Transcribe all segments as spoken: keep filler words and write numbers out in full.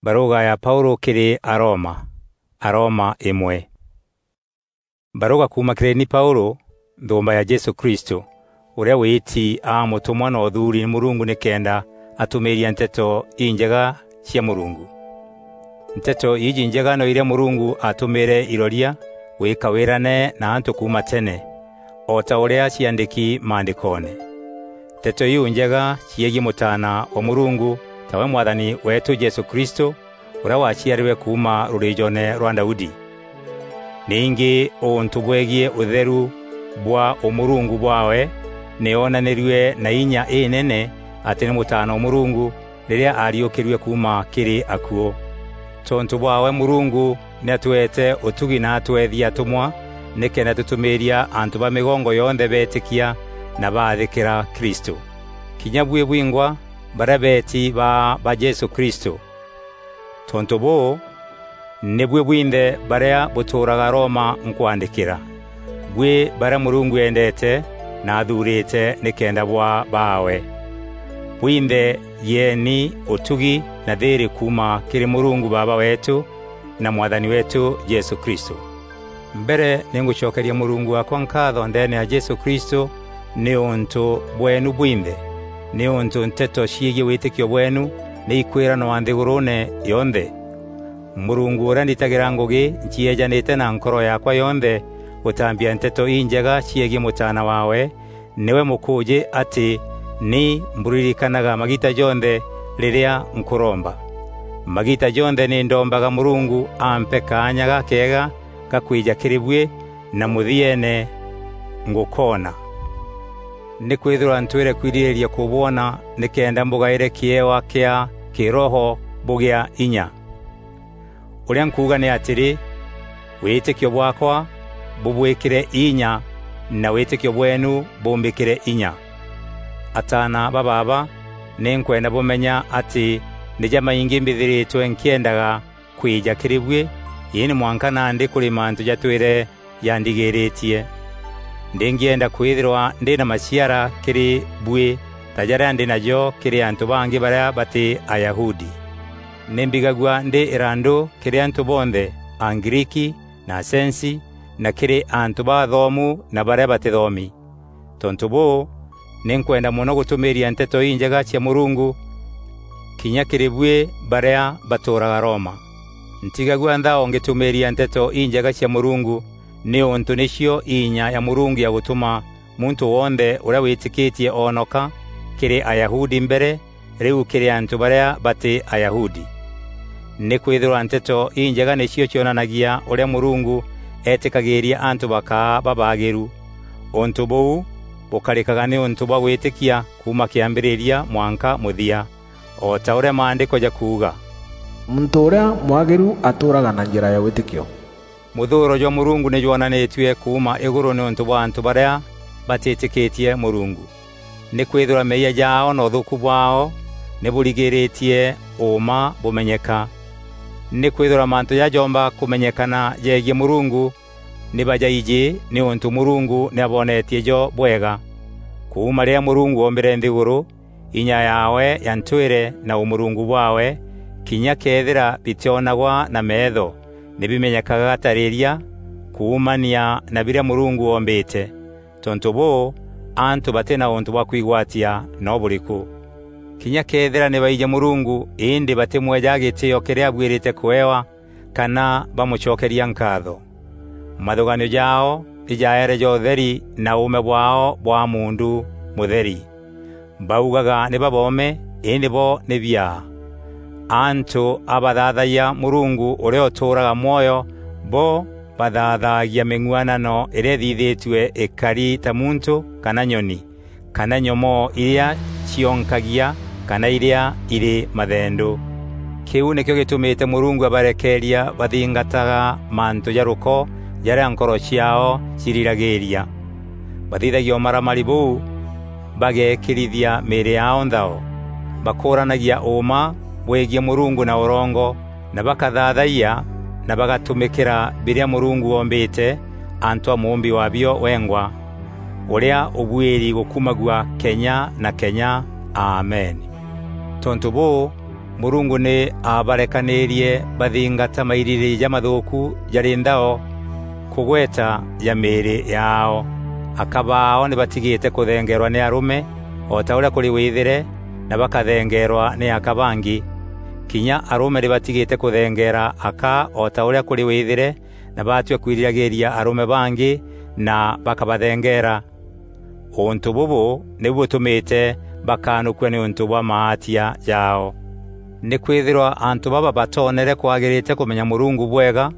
Barûga ya Paûlû kîrî Aroma. Aroma îmwe. Barûga kuuma kîrî ni Paûlû, nthûûmba ya Jesû Kristû, ûrîa wîti aa mûtûmwa na ûthuuri nî Mûrungu nîkenda atûmîîria Nteto Injega cia Mûrungu. Nteto iji njega no irîa Mûrungu aatûmîîre iroria gwîka wîrane na antû kuuma tene, o ta ûrîa ciandîki Maandîkoone. Nteto iu njega ciegiî Mûtaana wa Mûrungu, tawe Mwathani weetû Jesû Kristû, ûrîa waciarîrwe kuuma rûrîîjoone rwa Daudi. Ningî ûntû bwegiî ûtheru bwa ûmûrungu bwaawe, nî oonanîrue na inya înene atî nî Mûtaana wa Mûrungu rîrîa aariûkîrue kuuma kîrî akuû. Tontû bwaawe Mûrungu nî atweete ûtugi na atweethia atûmwa nîkenda tûtûmîîria antû ba mîgongo yonthe beetîkia na baathîkîra Kristû. Kinya buî bwingwa barîa beeti baa ba Jesû Kristû. Tontû bûû, nî buî bwinthe barîa bûtûûraga Roma nkwaandîkîra, buî barîa Mûrungu eendeete na athuurîte nîkenda bwaa baawe. Bwinthe gîeeni ûtugi na thîîrî kuuma kîrî Mûrungu Baaba weetû na Mwathani weetû Jesû Kristû. Mbere nî ngûcokeria Mûrungu waakwa nkaatho ndeene ya Jesû Kristû nîûntû bweenu bwinthe, nîûntû nteto ciegiî wîtîkio bweenu nî ikwîranwa nthîgûrûûne yonthe. Mûrungu ûrîa nditagîra ngûgî ncieejanîte na nkoro yaakwa yonthe gûtambia Nteto Injega ciegiî Mûtaana waawe, nîwe mûkûûjî atî ni mbûririkanaga magiita jonthe rîrîa nkûromba. Magiita jonthe nî ndombaga Mûrungu ampe kaanya gakeega ga kwîja kîrî buî, na mûthieene ngûkoona. Nîkwîthîrwa ntwîre kwirîrîria kûbwona nîkenda mbûgaîre kîewa kîa kîroho bûgîa inya. Ûrîa nkuuga nî atîrî, wîtîkio bwaakwa bûbwîkîre inya, na wîtîkio bweenu bûmbîkîre inya. Ataana ba baaba, nî nkwenda bûmenya atî nî jamaingî mbîthîrîtwe nkîendaga kwîja kîrî buî, îndî mwanka nandî kûrî mantû jatwîre jandigîrîtie. Ndîngîenda kwîthîrwa ndî na maciara kîrî buî ta jarîa ndî najo kîrî antû bangî barîa batî Ayahudi. Nî mbigagua ndî îrandû kîrî antû bonthe, Agriiki na Asensi, na kîrî antû bathomu na barîa batîthomi. Tontû bûû, nî nkwenda mono gûtûmîîria Nteto Injega cia Mûrungu kinya kîrî buî barîa batûûraga Roma. Ntigagua nthao ngîtûmîîria Nteto Injega cia Mûrungu, nîûntû nîcio inya ya Mûrungu ya gûtûma muntû wonthe ûrîa wîtîkîtie oonoka, kîrî Ayahudi mbere, rîu kîrî antû barîa batî Ayahudi. Nîkwîthîrwa Nteto Injega nîcio cionanagia ûrîa Mûrungu eetîkagîîria antû bakaa babaagîru. Ûntû bûu bûkarîkaga nîûntû bwa gwîtîkia kuuma kîambîrîria mwanka mûthia, o ta ûrîa Maandîko jakuuga, "Muntû ûrîa mwagîru atûûraga na njîra ya wîtîkio." Mûthûûro jwa Mûrungu nî jwonanîtue kuuma îgûrû nîûntû bwa antû barîa batîtîkîtie Mûrungu. Nîkwîthîrwa meeyia jaao na ûthûûku bwaao nî bûrigîrîtie ûûma bûmenyeka. Nîkwîthîrwa mantû jaja joomba kûmenyekana jegiî Mûrungu nî bajaijî, nîûntû Mûrungu nî abonetie jo bwega. Kuuma rîrîa Mûrungu oombîre nthîgûrû, inya yaawe ya ntwîre na ûmûrungu bwaawe, kinya këethîra bitîonagwa na meetho, nî bimenyekaga ta rîria kuumania na birîa Mûrungu oombîte. Tontû bûû, antû batî na ûntû bwa kwigwatia no bûrîkû. Kinya këethîra nî baijî Mûrungu, îndî batîmweejaga gîtîîo kîrîa abuîrîte kûewa, kana bamûcokeria nkaatho. Mathûgaanio jaao nî jaere ja ûtheri na ûûme bwaao bwa muundu mûtheri. Baugaga nî baboome, îndî bo nî biaa. Antû a bathaathagia Mûrungu ûrîa ûtûûraga mwoyo, bo bathaathagia mîng'uanano îrîa îthithîtue îkari ta muntû kana nyoni, kana nyomoo irîa cionkagia, kana irîa irî mathendû. Kîu nîkîo gîtûmîte Mûrungu abarekeeria bathingataga mantû ja rûko jarîa nkoro ciaao ciriragîîria. Bathithagia ûmaramari bûu bageekîrithia mîîrî yaao nthao. Bakûûranagia ûûma bwegiî Mûrungu na ûrongo, na bakathaathagia na bagatûmîkîra birîa Mûrungu oombîte antû a Mûûmbi waabio wengwa, ûrîa ûbuîri gûkumagua kenya na kenya. Amen. Tontû bûû, Murungu ni aabarekanirie bathingata mairiri jamathuuku jari nthao kugweta ja miiri yaao. Aka baao ni batigite kuthengeerwa ni arume, o ta uria kuri withire, na bakathengeerwa ni aka bangi. Kinya arume ni batigite kuthengeera aka o ta uria kuri withire, na baatwia kwiriragiria arume bangi na bakabathengeera. Untu bubu nibu butumite bakanukua niuntu bwa maatia jaao. Nikwithirwa antu baba batoonere kwagirite kumenya Murungu bwega,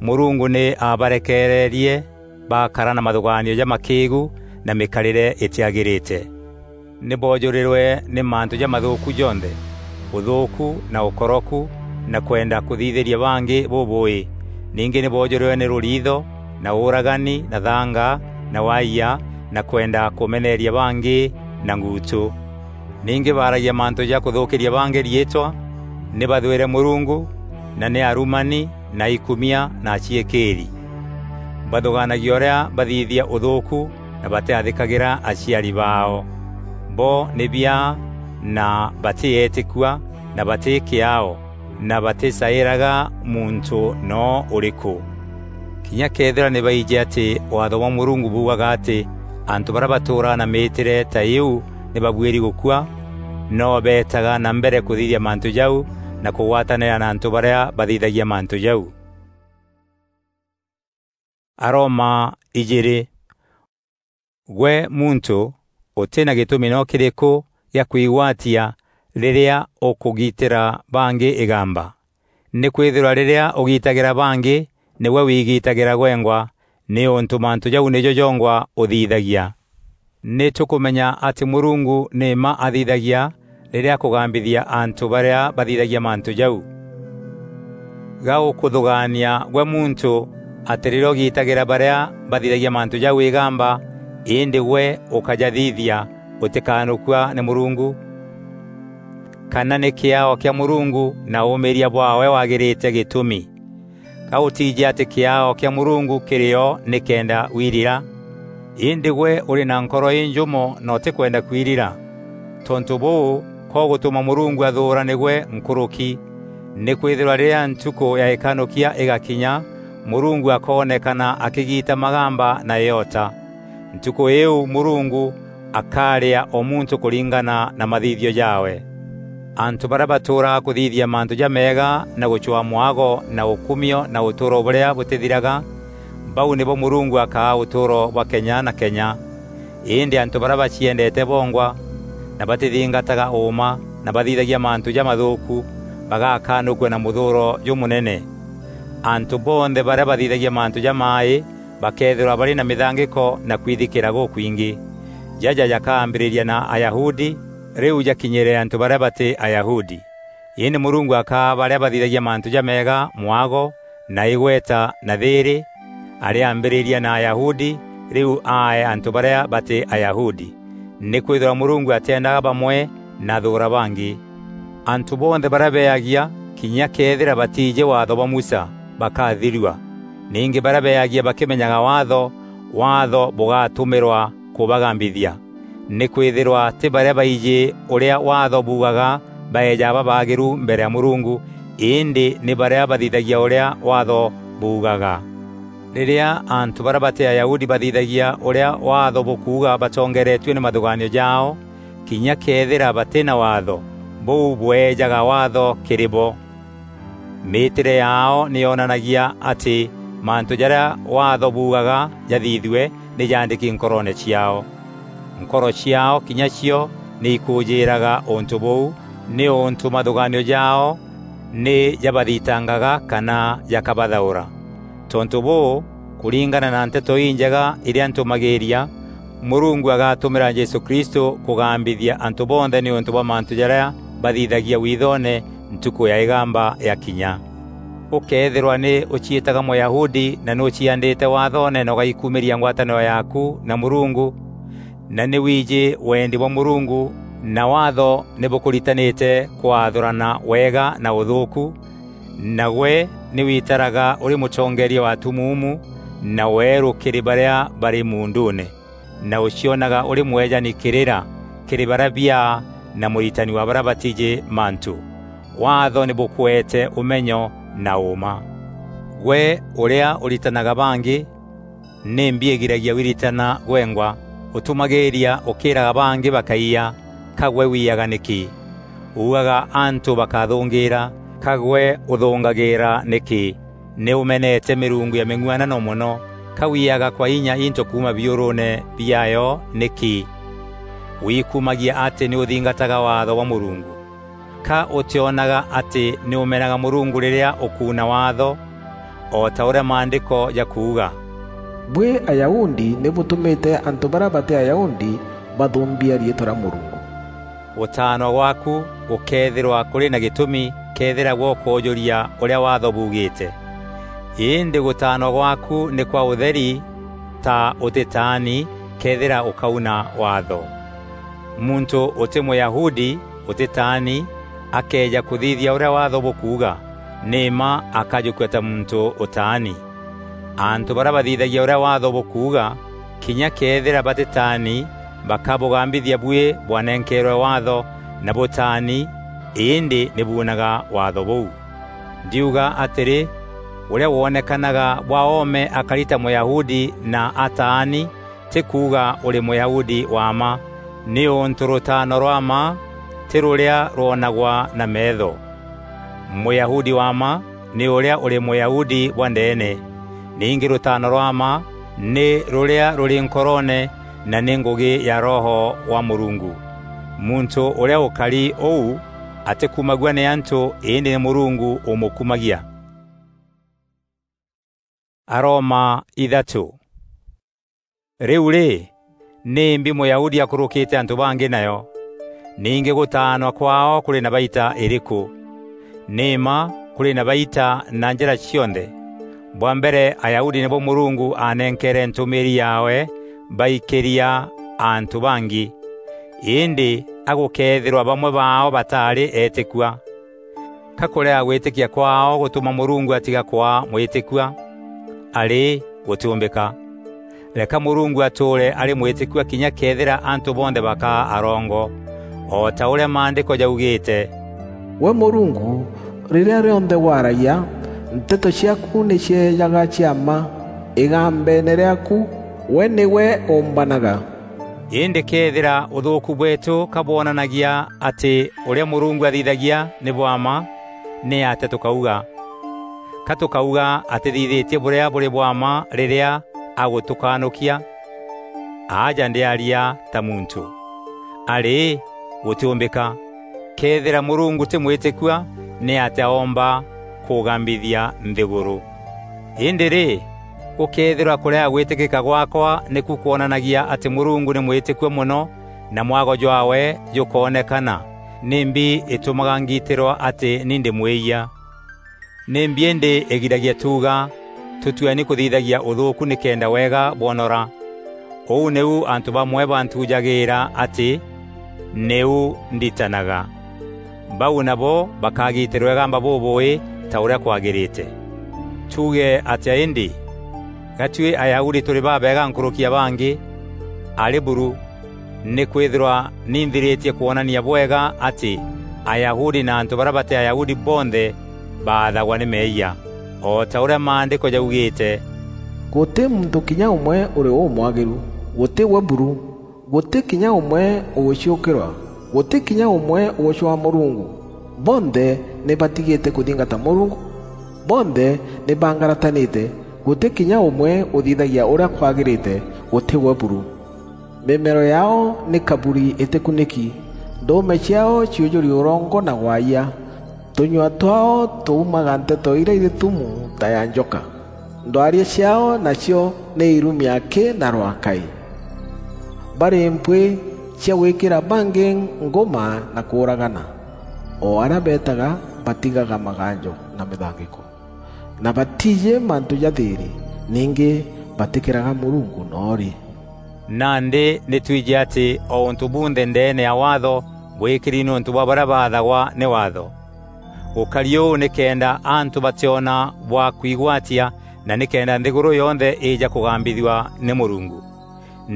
Murungu ni aabarekererie bakara na mathugaanio jamakiigu na mikarire itiagirite. Ni boojurirwe ni mantu jamathuuku jonthe, uthuuku na ukoroku, na kwenda kuthithiria bangi bubuui. Ningi ni boojurirwe ni ruriitho, na uuragani, na thanga, na waia, na kwenda kumeneeria bangi na nguutu. Ningi baaragia mantu ja kuthuukiria bangi riitwa, ni bathwire Murungu, na ni arumani, na ikumia, na aciikiiri. Bathugaanagia uria bathithia uthuuku, na batiathikagira aciari baao. Bo ni biaa, na batieetikua, na bati kiaao, na baticairaga muntu noo uriku. Kinya kethira ni baiji ati Waatho bwa Murungu buugaga ati antu baria batuuraa na miitire ta iu ni babuiri gukua, no beetaga na mbere kuthithia mantu jau na kugwatanira na antu baria bathithagia mantu jau. Aroma ijiri. Gwe muntu, uti na gitumi no kiriku gia kwigwatia riria ukugitira bangi igamba? Nikwithirwa riria ugitagira bangi, niwe wigitagira gwengwa, niuntu mantu jau nijo jongwa uthithagia. Ni tukumenya ati Murungu ni mma athithagia riria akugambithia antu baria bathithagia mantu jau. Ga ukuthugaania gwe muntu ati riria ugitagira baria bathithagia mantu jau igamba, indi gwe ukajathithia, utikanukua ni Murungu? Kana ni kiao kia Murungu na uumiria bwaawe wagirite gitumi? Ka utiiji ati kiao kia Murungu kiri o nikenda wirira? Indi gwe uri na nkoro injumo na utikwenda kwirira. Tontu buu, ka ugutuma Murungu athuura nigwe nkuruki. Nikwithirwa riria ntuku ya ikanukia igakinya, Murungu akoonekana akigita magamba na iota. Ntuku iu Murungu akaria o muntu kuringana na mathithio jaawe. Antu baria batuuraga kuthithia mantu jameega na gucwaa mwago na ukumio na utuuro buria butithiraga, bau nibo Murungu akaa utuuro bwa kenya na kenya. Indi antu baria baciendete bongwa, na batithingataga uuma, na bathithagia mantu jamathuuku, bagakanukua na muthuuro jumunene. Antu bonthe baria bathithagia mantu jamai bakeethirwa bari na mithangiko na kwithikira gukwingi. Jaja jakaambiriria na Ayahudi, riu jakinyire antu baria bati Ayahudi. Indi Murungu akaa baria bathithagia mantu jameega mwago, na igweta, na thiiri, ariambiriria na Ayahudi, riu aae antu baria bati Ayahudi. Nikwithirwa Murungu atiendaga bamwe na athuura bangi. Antu bonthe baria beeagia, kinya kethira batiiji Waatho bwa Musa, bakathirua. Ningi baria beeagia bakimenyaga Waatho, Waatho bugatumirwa kubagambithia. Nikwithirwa ti baria baiji uria Waatho buugaga baejaga babaagiru mbere ya Murungu, indi ni baria bathithagia uria Waatho buugaga. Riria antu baria bati Ayahudi bathithagia uria Waatho bukuuga batongeretue ni mathugaanio jaao, kinya kethira bati na Waatho, buu bweejaga Waatho kiri bo. Miitire yaao ni yonanagia ati mantu jaria Waatho buugaga jathithue ni jaandiki nkoroone ciaao. Nkoro ciaao kinya cio ni ikuujiiraga untu buu, niuntu mathugaanio jaao ni jabathitangaga kana jakabathaura. Tontu buu, kuringana na Nteto Injega iria ntumagiiria, Murungu agatumira Jesu Kristu kugambithia antu bonthe niuntu bwa mantu jaria bathithagia withoone ntuku ya igamba yakinya. Ukeethirwa ni uciitaga Muyahudi na ni uciandite Waathoone na ugaikumiria ngwataniro yaaku na Murungu, na ni wiiji wendi bwa Murungu, na Waatho ni bukuritanite kwathurana wega na uthuuku, na gwe ni witaraga uri mutongeeria wa atumuumu na weeru kiri baria bari muunduune, na ucionaga uri mwejani kirira kiri baria biaa na muritani wa baria batiiji mantu. Waatho nî bûkweete ûmenyo na ûûma. Gwe ûrîa ûritanaga bangî, nîmbi îgiragia wiritana gwengwa? Ûtumagîîria ûkîîraga bangî bakaiya, ka gwe wiyaga nîkî? Uugaga antû bakathûngîîra, ka gwe ûthûngagîîra nîkî? Nî ûmenete mîrungu ya mîng'uanano mono, ka wiyaga kwa inya into kuuma biûrûûne biaayo nîkî? Wikumagia atî nî ûthingataga waatho bwa Mûrungu. Ka ûtîonaga atî nî ûmenaga Mûrungu rîrîa ûkuuna waatho? O ta ûrîa Maandîko jakuuga, "Buî Ayahudi nî bûtûmîte antû barîa batî Ayahudi bathumbia riîtwa rîa Mûrungu." Gûtaanwa gwaaku gûkeethîrwa kûrî na gîtûmi këethîra gwe ûkûûjûria ûrîa Waatho buugîîte. Îndî gûtaanwa gwaaku nî kwa ûtheri ta ûtîtaani këethîra ûkauna Waatho. Muntû ûtî Mûyahudi ûtîtaani akëeja kûthithia ûrîa Waatho bûkuuga, nî mma akajûkua ta muntû ûtaani. Antû barîa bathithagia ûrîa Waatho bûkuuga, kinya këethîra batîtaani, bakabûgambithia buî bwanenkeerwe Waatho na bûtaani, îndî nî buunaga Waatho bûu. Ndiuga atîrî, ûrîa wonekanaga bwa oome akari ta Mûyahudi na ataani, tî kuuga ûrî Mûyahudi wa mma, nîûntû rûtaano rwa mma tî rûrîa rwonagwa na meetho. Mûyahudi wa mma nî ûrîa ûrî Mûyahudi bwa ndeene. Ningî rûtaano rwa mma nî rûrîa rûrî nkoroone na nî ngûgî ya Roho wa Mûrungu. Muntû ûrîa ûkari ûu atîkumagua nî antû, îndî nî Mûrungu ûmûkumagia. Aroma ithatû. Rîu rî, nîmbi Mûyahudi akûrûkîte antû bangî nayo? Ningî gûtaanwa kwaao kûrî na baita îrîkû? Nî mma kûrî na baita na njîra cionthe. Bwa mbere, Ayahudi nîbo Mûrungu aanenkeere ntûmîîri yaawe baikîria antû bangî. Îndî a gûkeethîrwa bamwe baao bataarî eetîkua. Ka kûrega gwîtîkia kwaao gûtûma Mûrungu atiga kwaa mwîtîkua? Arî, gûtîûmbîka! Reka Mûrungu atûûre arî mwîtîkua kinya këethîra antû bonthe bakaa arongo, o ta ûrîa Maandîko jaugîîte, "Gwe Mûrungu, rîrîa rîonthe waragia, nteto ciaaku nî cieejaga cia mma, îgambeene rîaaku, gwe nîgwe ûmbanaga." Îndî këethîra ûthûûku bweetû ka bwonanagia atî ûrîa Mûrungu athithagia nî bwa mma, nîatîa tûkauga? Ka tûkauga atîthithîtie bûrîa bûrî bwa mma rîrîa agûtûkanûkia? Aja ndîaria ta muntû. Arî, gûtîûmbîka! Këethîra Mûrungu tî mwîtîkua, nîatîa oomba kûgambithia nthîgûrû? Îndî rî, gûkeethîrwa kûrega gwîtîkîka gwaakwa nîku kwonanagia atî Mûrungu nî mwîtîkua mono na mwago jwaawe jûkoonekana, nîmbi îtûmaga ngiitîrwa atî ni ndî mwîyia? Nîmbi îndî îgiragia tuuga, "Tûtueni kûthithagia ûthûûku nîkenda wega bwonora"? Ûu nîu antû bamwe bantuujagîîra atî nîu nditanaga. Bau nabo bakagitîrwa îgamba bûbûûî ta ûrîa kwagîrîte. Tuuge atîa îndî? Ga tuî Ayahudi tûrî babeega nkûrûki ya bangî? Arî buru! Nîkwîthîrwa ni nthirîtie kwonania bwega atî Ayahudi na antû barîa batî Ayahudi bonthe baathagwa nî meeyia, o ta ûrîa Maandîko jaugîîte, "Gûtî muntû kinya ûmwe ûrî ûmwagîru, gûtî gwe buru, gûtî kinya ûmwe ûgûciûkîrwa, gûtî kinya ûmwe ûgûcwaa Mûrungu. Bonthe nî batigîte kûthingata Mûrungu, bonthe nî bangaratanîte, gûtî kinya ûmwe ûthithagia ûrîa kwagîrîte, gûtî gwe buru." Mîmero yaao nî kaburi îtîkunîki, ndûûme ciaao ciûjûri ûrongo na gwaayia, tûnyua twaao tûumaga nteto irîa irî thumu ta ya njoka, ndwaria ciaao nacio nî irumi akî na rwakaî. Barî mpwîî cia gwîkîra bangî ngûma na kûûragana, o arîa beetaga batigaga maganjo na mîthangîko. Na batiijî mantû ja thîîrî, ningî batîkîraga Mûrungu noorî. Nandî nî twiji atî o ûntû bunthe ndeene ya Waatho bwîkîri nîûntû bwa barîa baathagwa nî Waatho. Gûkari ûu nîkenda antû batîona bwa kwigwatia na nîkenda nthîgûrû yonthe îîja kûgambithua nî Mûrungu.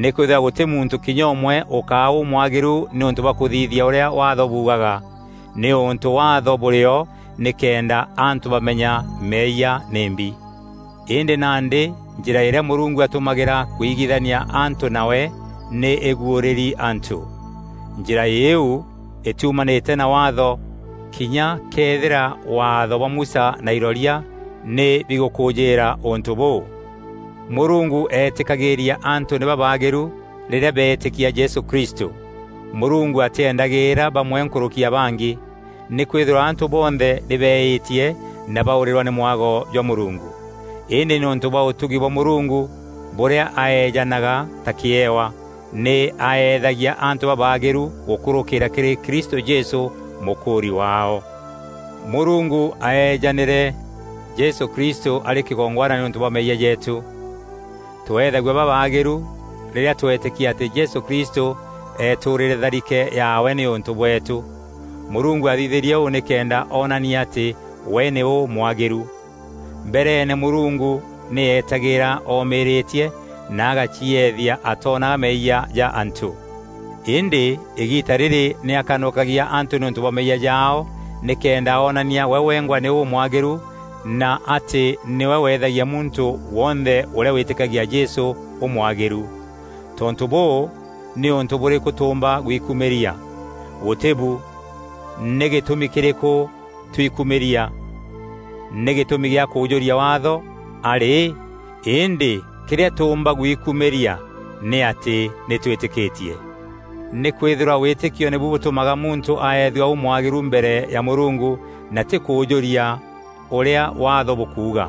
Nîkwîthîrwa gûtî muntû kinya ûmwe ûkaa ûmwagîru nîûntû bwa kûthithia ûrîa Waatho buugaga, Nîûntû Waatho bûrî o nîkenda antû bamenya meeyia nîmbi. Îndî nandî njîra îrîa Mûrungu atûmagîra kwigithania antû nawe nî îguûrîri antû. Njîra îîu îtiumanîte na Waatho, kinya këethîra Waatho bwa Musa na iroria nî bigûkûûjîîra ûntû bûû. Mûrungu eetîkagîîria antû nî babaagîru rîrîa beetîkia Jesû Kristû. Mûrungu atîendagîîra bamwe nkûrûki ya bangî, nîkwîthîrwa antû bonthe nî beîtie na baûrîrwa nî mwago jwa Mûrungu. Îndî nîûntû bwa ûtugi bwa Mûrungu bûrîa aeejanaga ta kîewa, nî aeethagia antû babaagîru gûkûrûkîîra kîrî Kristû Jesû, mûkûûri waao. Mûrungu aeejanîre Jesû Kristû arî kîgongwana nîûntû bwa meeyia jeetû. Tweethagua babaagîru rîrîa tweetîkia atî Jesû Kristû eetûûrîre tharike yaawe nîûntû bweetû. Mûrungu aathithîrie ûu nîkenda oonania atî we nî ûmwagîru. Mbereene Mûrungu nî eetagîîra oomîîrîtie na agacieethia atoonaga meeyia ja antû. Îndî îgiita rîrî nî akanûkagia antû nîûntû bwa meeyia jaao, nîkenda oonania we wengwa nî ûmwagîru na atî nîwe weethagia muntû wonthe ûrîa wîtîkagia Jesû ûmwagîru. Tontû bûû, nîûntû bûrîkû tûûmba gwikumîria? Gûtî bu. Nî gîtûmi kîrîkû twikumîria? Nî gîtûmi gîa kûûjûria Waatho? Arî, îndî kîrîa tûûmba gwikumîria nî atî nî twîtîkîtie. Nîkwîthîrwa wîtîkio nîbu bûtûmaga muntû aethua ûmwagîru mbere ya Mûrungu, na tî kûûjûria ûrîa Waatho bûkuuga.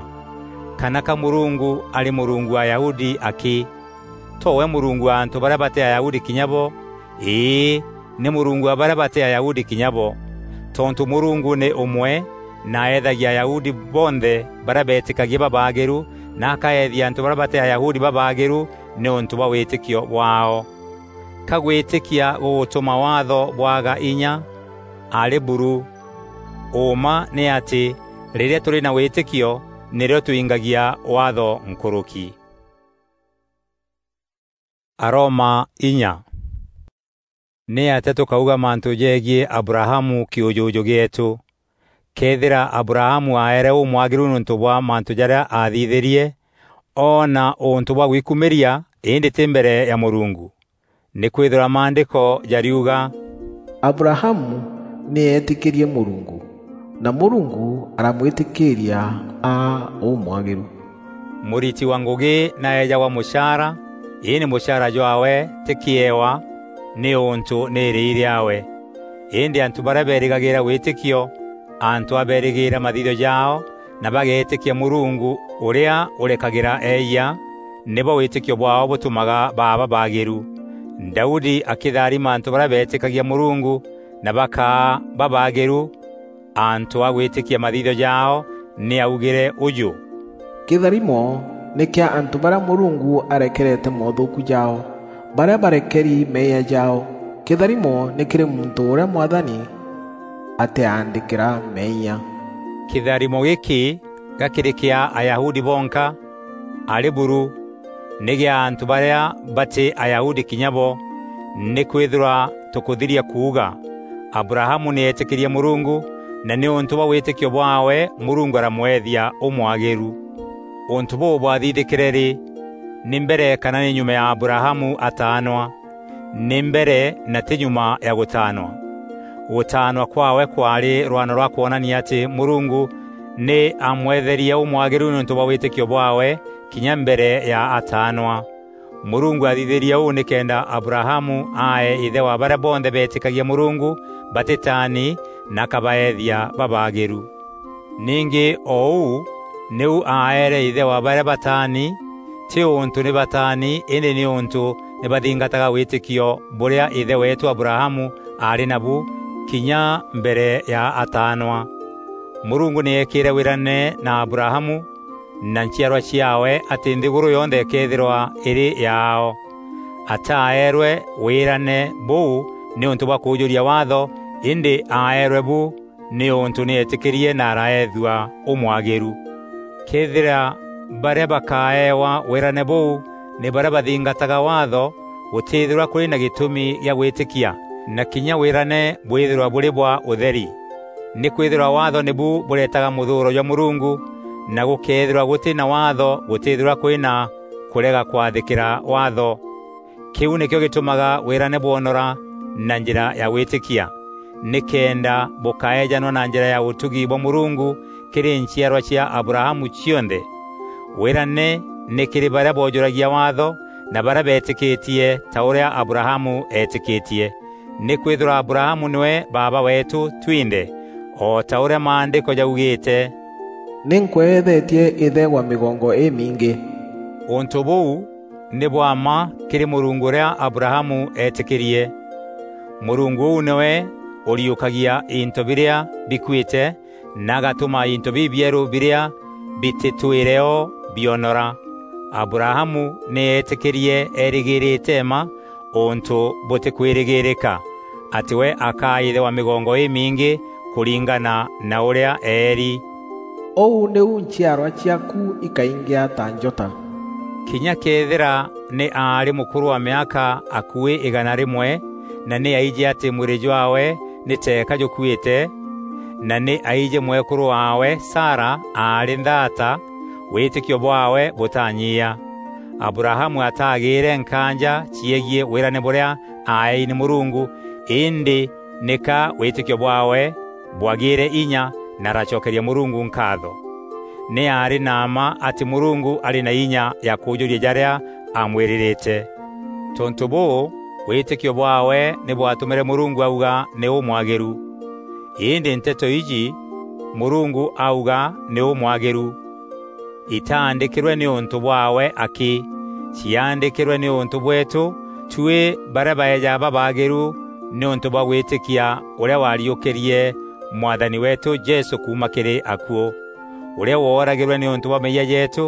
Kana ka Mûrungu arî Mûrungu wa Ayahudi akî? To we Mûrungu wa antû barîa batî Ayahudi kinya bo? Îî, nî Mûrungu wa barîa batî Ayahudi kinya bo. Tontû Mûrungu nî ûmwe, na aeethagia Ayahudi bonthe barîa beetîkagia babaagîru, na akaeethia antû barîa batî Ayahudi babaagîru nîûntû bwa wîtîkio bwaao. Ka gwîtîkia gûgûtûma Waatho bwaga inya? Arî buru! Ûûma nî atî, rîrîa tûrî na wîtîkio, nîrîo twingagia Waatho nkûrûki. Aroma inya. Nîatîa tûkauga mantû jegiî Abrahamu kîûjûjû gîeetû? Këethîra Abrahamu aeere ûmwagîru nîûntû bwa mantû jarîa aathithîrie, oona ûntû bwa gwikumîria, îndî tî mbere ya Mûrungu. Nîkwîthîrwa Maandîko jariuga, "Abrahamu nî eetîkîrie Mûrungu, na Mûrungu aramwîtîkîîria aa ûmwagîru." Mûriti wa ngûgî naejagwa mûchaara, îndî mûchaara jwaawe tî kîewa, nîûntû nî îrîi rîaawe. Îndî antû barîa beerîgagîîra wîtîkio, antû a beerîgîîra mathithio jaao, na bageetîkia Mûrungu ûrîa ûrekagîra eeyia, nîbo wîtîkio bwaao bûtûmaga baa babaagîru. Daudi akîtharima antû barîa beetîkagia Mûrungu na bakaa babaagîru, antû a gwîtîkia mathithio jaao, nî aaugîre ûjû, "Kîtharimo nî kîa antû barîa Mûrungu arekerete moothûûku jaao, barîa barekeri meeyia jaao. Kîtharimo nî kîrî muntû ûrîa Mwathani atîaandîkîra meeyia." Kîtharimo gîkî ga kîrî kîa Ayahudi bonka? Arî buru! Nî gîa antû barîa batî Ayahudi kinya bo. Nîkwîthîrwa tûkûthiria kuuga, Abrahamu nî eetîkîrie Mûrungu, na nîûntû bwa wîtîkio bwaawe Mûrungu aramweethia ûmwagîru. Ûntû bûû bwathithîkîre rî? Nî mbere kana nî nyuma ya Abrahamu ataanwa? Nî mbere na tî nyuma ya gûtaanwa. Gûtaanwa kwaawe kwaarî rwano rwa kwonania atî Mûrungu nî aamweetherie ûmwagîru nîûntû bwa wîtîkio bwaawe kinya mbere ya ataanwa. Mûrungu aathithîrie ûu nîkenda Abrahamu aae îthe wa barîa bonthe beetîkagia Mûrungu batîtaani na akabaeethia babaagîru. Ningî o ûu nîu aaere îthe wa barîa bataani, tî ûntû nî bataani, îndî nîûntû nî bathingataga wîtîkio bûrîa îthe weetû Abrahamu aarî nabu kinya mbere ya ataanwa. Mûrungu nî eekîîre wîrane na Abrahamu na nchiarwa ciaawe atî nthîgûrû yonthe îkeethîrwa îrî yaao. Ataaeerwe wîrane bûu nîûntû bwa kûûjûria Waatho, îndî aaeerwe bu nîûntû nî eetîkîrie na araeethua ûmwagîru. Këethîra barîa bakaewa wîrane bûu nî barîa bathingataga Waatho, gûtîthîrwa kûrî na gîtûmi gîa gwîtîkia. na kinya wîrane bwîthîrwa bûrî bwa ûtheri. Nîkwîthîrwa Waatho nîbu bûretaga mûthûûro jwa Mûrungu, na gûkeethîrwa gûtî na Waatho gûtîthîrwa kwî na kûrega kwathîkîra Waatho. Kîu nîkîo gîtûmaga wîrane bwonora na njîra ya gwîtîkia, nîkenda bûkaejanwa na njîra ya ûtugi bwa Mûrungu kîrî nchiarwa cia Abrahamu cionthe. Wîrane nî kîrî barîa boojûragia Waatho na barîa beetîkîtie ta ûrîa Abrahamu eetîkîtie. Nîkwîthîrwa Abrahamu nîwe baaba weetû twinthe, o ta ûrîa Maandîko jaugîîte, "Nî nkweethetie îthe wa mîgongo îmingî." Ûntû bûu nî bwa mma kîrî Mûrungu ûrîa Abrahamu eetîkîrie. Mûrungu ûu nîwe ûriûkagia into birîa bikuîte, na agatûma into bibierû birîa bitîtwîre o bionora. Abrahamu nî eetîkîrie erîgîrîte mma ûntû bûtîkwîrîgîîrîka, atî we akaa îthe wa mîgongo îmingî kûringana na ûrîa eeri. "Ûu nîu nchiarwa ciaaku ikaingîa ta njota." Kinya këethîra nî aarî mûkûrû wa mîaka akuî îgana rîmwe, na nî aijî atî mwîrî jwaawe nî teeka jûkuîte, na nî aijî mwekûrû waawe Sara aarî nthaata, wîtîkio bwaawe bûtanyia. Abrahamu ataagîîre nkaanja ciegiî wîrane bûrîa aaei nî Mûrungu, îndî nîka wîtîkio bwaawe bwagîîre inya na aracokeria Mûrungu nkaatho. Nî aarî na mma atî Mûrungu arî na inya ya kûûjûria jarîa aamwîrîrîte. Tontû bûû, wîtîkio bwaawe nî bwatûmîre Mûrungu auga nî ûmwagîru. Îndî nteto iji, "Mûrungu auga nî ûmwagîru," itaandîkîrwe nîûntû bwaawe akî, ciaandîkîrwe nîûntû bweetû tuî barîa baeja babaagîru nîûntû bwa gwîtîkia ûrîa waariûkîrie Mwathani weetû Jesû kuuma kîrî akuû, ûrîa wooragîrwe nîûntû bwa meeyia jeetû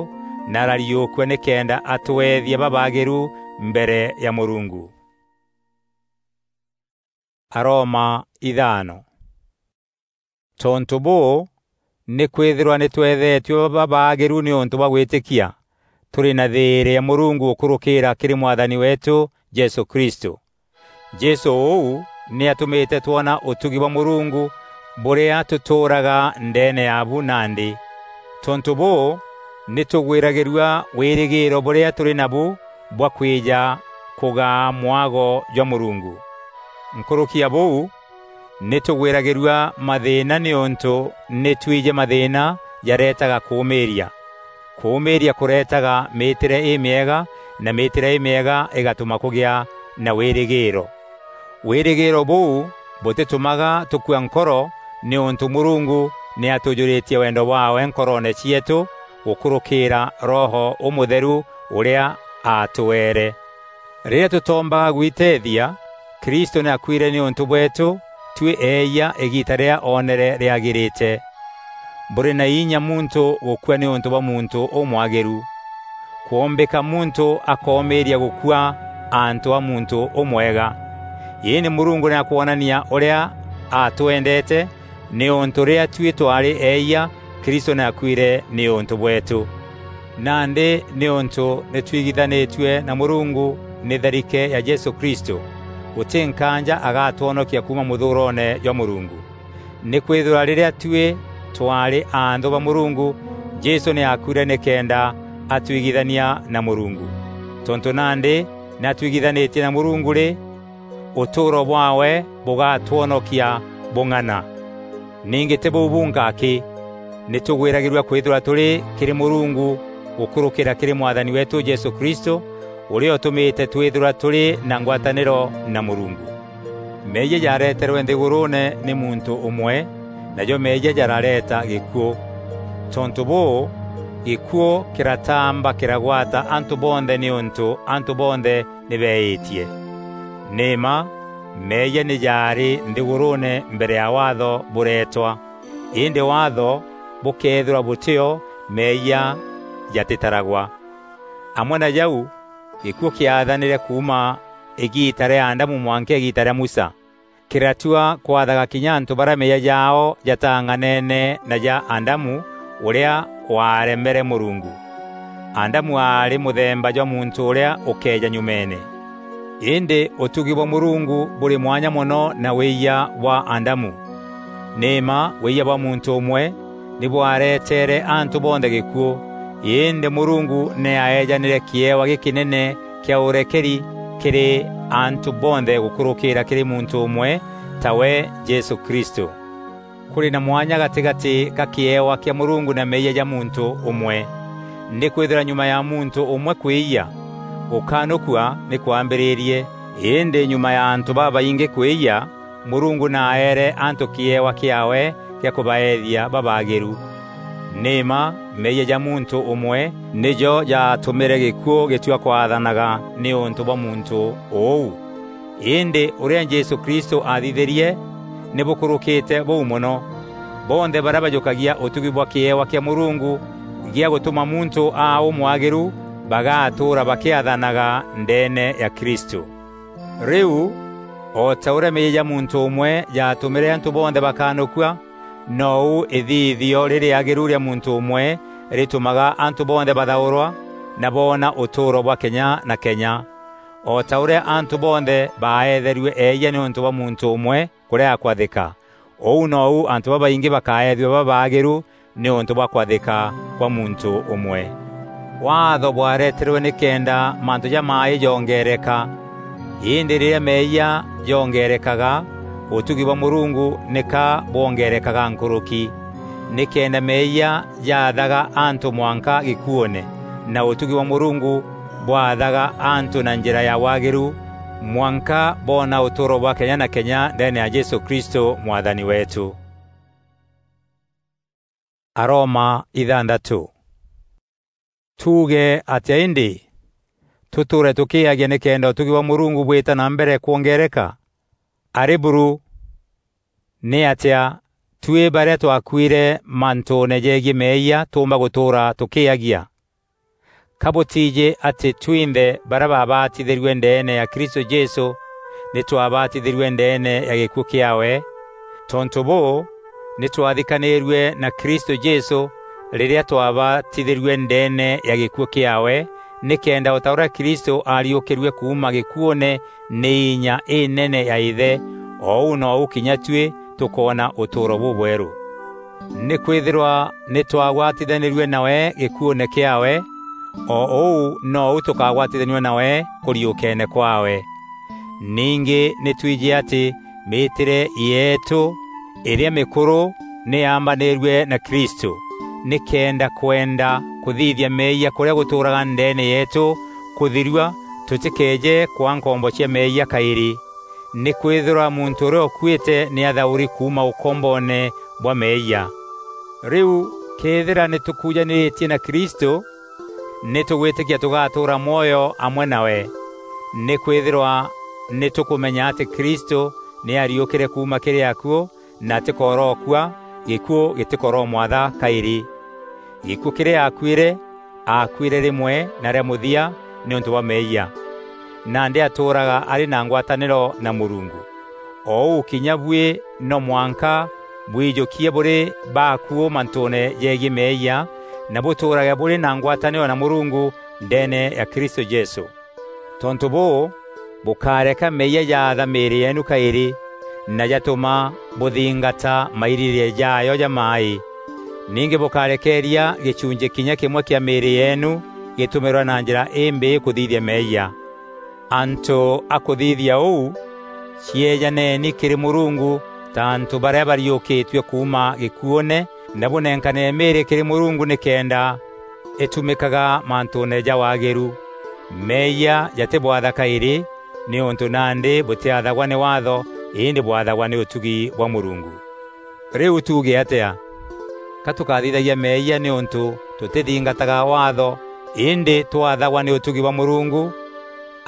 na arariûkua nîkenda atweethia babaagîru mbere ya Mûrungu. Aroma ithano. Tontû bûû, nîkwîthîrwa nî tweethetue babaagîru nîûntû bwa gwîtîkia, tûrî na thîîrî ya Mûrungu gûkûrûkîîra kîrî Mwathani weetû Jesû Kristû. Jesû ûu nî atûmîte twona ûtugi bwa Mûrungu bûrîa tûtûûraga ndeene yaabu nandî. Tontû bûû, nî tûgwîragîrua wîrîgîîro bûrîa tûrî nabu bwa kwîja kûgaa mwago jwa Mûrungu. Nkûrûki ya bûu, nî tûgwîragîrua mathîîna nîûntû nî twîjî mathîîna jareetaga kûûmîîria. Kûûmîîria kûreetaga mîîtîre îmîega, na mîîtîre îmîega îgatûma kûgîa na wîrîgîîro. Wîrîgîîro bûu bûtîtûmaga tûkua nkoro, nîûntû Mûrungu nî atûjûrîtie wendo bwaawe nkoroone cieetû gûkûrûkîîra Roho Ûmûtheru ûrîa aatûeere. Rîrîa tûtoombaga gwiteethia, Kristû nî aakuîre nîûntû bweetû tuî eeyia îgiita rîrîa oonere rîagîrîte. Bûrî na inya muntû gûkua nîûntû bwa muntû ûmwagîru. Kwombîka muntû akoomîîria gûkua antû a muntû ûmwega. Îndî Mûrungu nî akwonania ûrîa atwendete, nîûntû rîrîa tuî twaarî eeyia, Kristû nî aakuîre nîûntû bweetû. Nandî nîûntû nî twigithanîtue na Mûrungu nî tharike ya Jesû Kristû, gûtî nkaanja agatwonokia kuuma mûthûûroone jwa Mûrungu. Nîkwîthîrwa rîrîa tuî twaarî anthû ba Mûrungu, Jesû nî aakuîre nîkenda atwigithania na Mûrungu. Tontû nandî nî atwigithanîtie na Mûrungu rî, ûtûûro bwaawe bûgatwonokia bûng'ana. Ningî tî bûu bunka akî, nî tûgwîragîrua kwîthîrwa tûrî kîrî Mûrungu gûkûrûkîra kîrî Mwathani weetû Jesû Kristû, ûrîa ûtûmîte twîthîrwa tûrî na ngwatanîro na Mûrungu. Meeyia jaareterwe nthîgûrûûne nî muntû ûmwe, najo meeyia jarareeta gîkuû. Tontû bûû, gîkuû kîratamba kîragwata antû bonthe nîûntû antû bonthe nî beeîtie. Nî mma, meeyia nî jaarî nthîgûrûûne mbere ya Waatho bûreetwa. Îndî Waatho bûkeethîrwa bûtîo, meeyia jatîtaragwa. Amwe na jau, gîkuû kîaathanîre kuuma îgiita rîa Adamu mwanka îgiita rîa Musa. Kîratua kwathaga kinya antû barîa meeyia jaao jataang'aneene na ja Adamu ûrîa waaremere Mûrungu. Adamu aarî mûthemba jwa muntû ûrîa ûkeeja nyumeene. Îndî ûtugi bwa Mûrungu bûrî mwanya mono na wîyia bwa Adamu. Nî mma wîyia bwa muntû ûmwe nî bwareteere antû bonthe gîkuû, îndî Mûrungu nî aeejanîre kîewa gîkînene kîa ûrekeri kîrî antû bonthe gûkûrûkîîra kîrî muntû ûmwe, tawe Jesû Kristû. Kûrî na mwanya gatîgatî ga kîewa kîa Mûrungu na meeyia ja muntû ûmwe. Nîkwîthîrwa nyuma ya muntû ûmwe kwîyia, gûkanûkua nî kwaambîrîrie. Îndî nyuma ya antû babaingî kwîyia, Mûrungu nî aeere antû kîewa kîaawe gîa kûbaethia babaagîru. Nî mma meeyia ja muntû ûmwe nîjo jaatûmîre gîkuû gîtua kwathanaga nîûntû bwa muntû ûu. Îndî ûrîa Jesû Kristû aathithîrie nî bûkûrûkîte bûu mono. Bonthe barîa bajûkagia ûtugi bwa kîewa kîa Mûrungu gîa gûtûma muntû aa ûmwagîru bagatûûra bakîathanaga ndeene ya Kristû. Rîu, o ta ûrîa meeyia ja muntû ûmwe jaatûmîre antû bonthe bakanûkua, nou îthithio rîrîagîru rîa muntû ûmwe rîtûmaga antû bonthe bathaûrwa na boona ûtûûro bwa kenya na kenya. O ta ûrîa antû bonthe baaetherue eeyia nîûntû bwa muntû ûmwe kûrega kwathîka, ûu nou antû babaingî bakaethua babaagîru nîûntû bwa kwathîka kwa muntû ûmwe. Waatho bwareterwe nîkenda mantû jamaaî jongeereka. Îndî rîrîa meeyia jongeerekaga, ûtugi bwa Mûrungu nîka bwongeerekaga nkûrûki, nîkenda meeyia jaathaga antû mwanka gîkuûne, na ûtugi bwa Mûrungu bwathaga antû na njîra ya waagîru, mwanka boona ûtûûro bwa kenya na kenya ndeene ya Jesû Kristû Mwathani weetû. Aroma ithantatû. Tuuge atîa îndî? Tûtûûre tûkîîagia nîkenda ûtugi bwa Mûrungu bwîta na mbere kwongeereka? Arî buru! Nîatîa tuî barîa twakuîre mantûûne jegiî meeyia tûûmba gûtûûra tûkîîagia? Ka bûtiijî atî twinthe barîa baabatithîrue ndeene ya Kristû Jesû nî twabatithîrue ndeene ya gîkuû kîaawe? Tontû bûû, nî twathikanîrue na Kristû Jesû rîrîa twabatithîrue ndeene ya gîkuû kîaawe, nîkenda o ta ûrîa Kristû aariûkîrue kuuma gîkuûne nî inya înene ya Îthe, o ûu nou kinya tuî tûkoona ûtûûro bûbwerû. Nîkwîthîrwa nî twagwatithanîrue nawe gîkuûne kîaawe, o ûu nou tûkagwatithanua nawe kûriûkeene kwaawe. Ningî nî twîjî atî mîîtîre yeetû îrîa mîkûrû nî yaambanîrue na Kristû, nîkenda kwenda kûthithia meeyia kûrîa gûtûûraga ndeene yeetû kûthirua, tûtîkeeje kwaa nkombo cia meeyia kaîrî. Nîkwîthîrwa muntû ûrîa ûkuîte nî athaûri kuuma ûkomboone bwa meeyia. Rîu këethîra nî tûkujanîrîtie na Kristû, nî tûgwîtîkia tûgatûûra mwoyo amwe nawe. Nîkwîthîrwa nî tûkûmenya atî Kristû nî aariûkîre kuuma kîrî akuû na atîkorokua, gîkuû gîtîkoromwatha kaîrî. Gîkuû kîrîa aakuîre, aakuîre rîmwe na rîa mûthia nîûntû bwa meeyia. Nandî atûûraga arî na ngwatanîro na Mûrungu. O ûu kinya buî no mwanka bwijûkie bûrî bakuû mantûûne jegiî meeyia, na bûtûûrage bûrî na ngwatanîro na Mûrungu ndeene ya Kristû Jesû. Tontû bûû, bûkáreka meeyia jaatha mîîrî yeenu kaîrî, na jatûma bûthingata mairîrîîria jaayo jamaaî. Ningî bûkarekeeria gîchunchî kinya kîmwe kîa mîîrî yeenu gîtûmîrwa na njîra îmbîî kûthithia meeyia. Antû a kûthithia ûu, cieejaneni kîrî Mûrungu ta antû barîa bariûkîtue kuuma gîkuûne, na bûnenkane mîîrî kîrî Mûrungu nîkenda îtumîkaga mantûûne ja waagîru. Meeyia jatîbwatha kaîrî, nîûntû nandî bûtîathagwa nî Waatho, îndî bwathagwa nî ûtugi bwa Mûrungu. Rîu tuuge atîa? Ka tûkathithagia meeyia nîûntû tûtîthingataga Waatho, îndî twathagwa nî ûtugi bwa Mûrungu?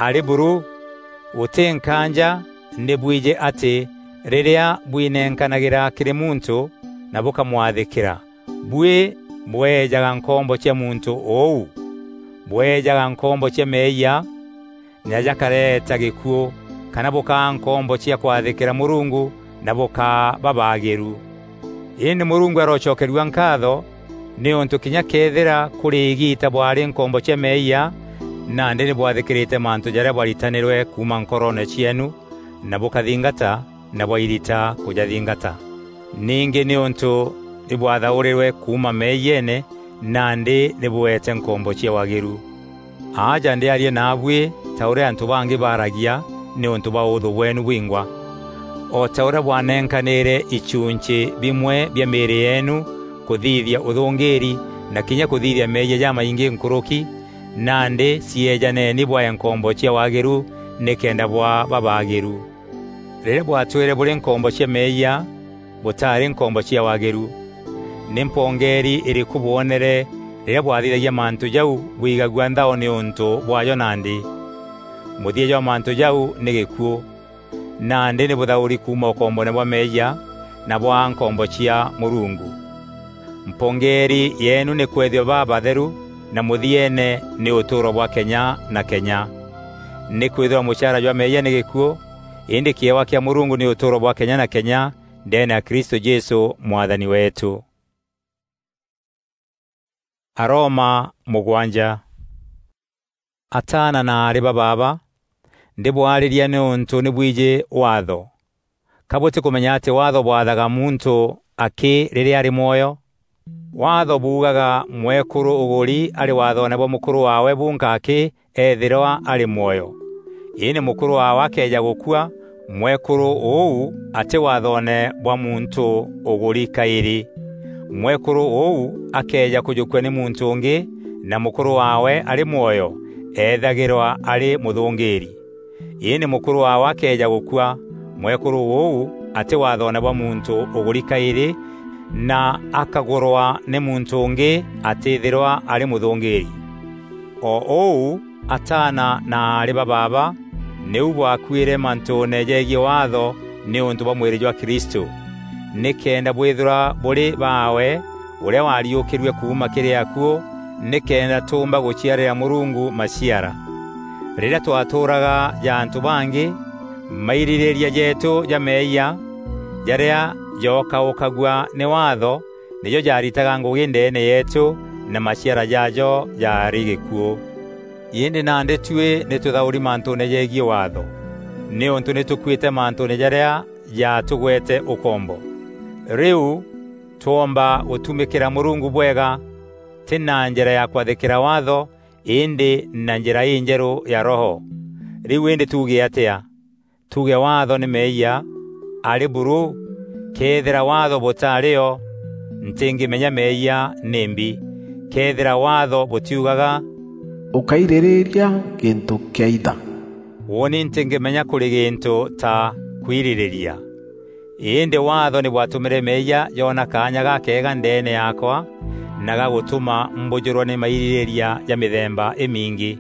Arî buru! Gûtî nkaanja nî bwijî atî rîrîa bwinenkanagîra kîrî muntû na bûkamwathîkîra, buî bweejaga nkombo cia muntû ûu. Bweejaga nkombo cia meeyia, na jakareeta gîkuû, kana bûkaa nkombo cia kwathîkîra Mûrungu na bûkaa babaagîru. Îndî Mûrungu arocokerua nkaatho, nîûntû kinya këethîra kûrî îgiita bwaarî nkombo cia meeyia, Nandî nî bwathîkîrîte mantû jarîa bwaritanîrwe kuuma nkoroone cieenu, na bûkathingata, na bwairita kûjathingata. Ningî nîûntû nî bwathaûrîrwe kuuma meeyiene, nandî nî bûeete nkombo cia wagîru. Aaja ndîaria naabuî ta ûrîa antû bangî baaragia nîûntû bwa ûûthû bweenu bwingwa. O ta ûrîa bwanenkanîre ichunchî bimwe bia mîîrî yeenu kûthithia ûthûngîîri na kinya kûthithia meeyia jamaingî nkûrûki, nandî cieejaneni bwae nkombo cia wagîru nîkenda bwaa babaagîru. Rîrîa bwatwîre bûrî nkombo cia meeyia, bûtaarî nkombo cia wagîru. Nî mpongeeri îrîkû bwonere rîrîa bwathithagia mantû jau bwigagua nthao nîûntû bwaajo nandî? Mûthia jwa mantû jau nî gîkuû. Nandî nî bûthaûri kuuma ûkombone bwa meeyia na bwaa nkombo cia Mûrungu. Mpongeeri yeenu nî kwethua babatheru, na mûthieene nî ûtûûro bwa kenya na kenya. Nîkwîthîrwa mûchaara jwa meeyia nî gîkuû, îndî kîewa kîa Mûrungu nî ûtûûro bwa kenya na kenya ndeene ya Kristû Jesû Mwathani weetû. Aroma mûgwanja. Ataana na aarî ba baaba, ndîbwarîria nîûntû nî bwijî Waatho. Ka bûtîkûmenya atî Waatho bwathaga muntû akî rîrîa arî mwoyo? Waatho buugaga mwekûrû ûgûri arî waathoone bwa mûkûrû waawe bunka akî eethîrwa arî mwoyo. Îndî mûkûrû waawe akeeja gûkua, mwekûrû ûu atî waathoone bwa muntû ûgûri kaîrî. Mwekûrû ûu akeeja kûjûkua nî muntû ûngî, na mûkûrû waawe arî mwoyo, eethagîrwa arî mûthûngîîri. Îndî mûkûrû waawe akeeja gûkua, mwekûrû ûu atî waathoone bwa muntû ûgûri kaîrî, na akagûrwa nî muntû ûngî, atîîthîrwa arî mûthûngîîri. O ûu, ataana na aarî ba baaba, nîu bwakuîre mantûûne jegiî Waatho nîûntû bwa mwîrî jwa Kristû, nîkenda bwîthîrwa bûrî baawe, ûrîa waariûkîrue kuuma kîrî akuû, nîkenda tûûmba gûciarîra Mûrungu maciara. Rîrîa twatûûraga ja antû bangî, mairîrîîria jeetû ja meeyia, jarîa jookaûkagua nî Waatho, nîjo jaaritaga ngûgî ndeene yeetû, na maciara jaajo jaarî gîkuû. Îndî nandî tuî nî tûthaûri mantûûne jegiî Waatho, nîûntû nî tûkuîte mantûûne jarîa jaatûgwete ûkombo. Rîu, twoomba gûtumîkîra Mûrungu bwega, tî na njîra ya kwathîkîra Waatho, îndî na njîra înjerû ya Roho. Rîu îndî tuuge atîa? Tuuge Waatho nî meeyia? Arî buru! Këethîra Waatho bûtaarî o, ntîngîmenya meeyia nîmbi. Këethîra Waatho bûtiugaga, "Ûkairîrîîria gîntû kîaitha," ûûni ntîngîmenya kûrî gîntû ta kwirîrîria. Îndî Waatho nî bwatûmîre meeyia joona kaanya gakeega ndeene yaakwa, na gagûtûma mbûjûrwa nî mairîrîîria ja mîthemba îmingî.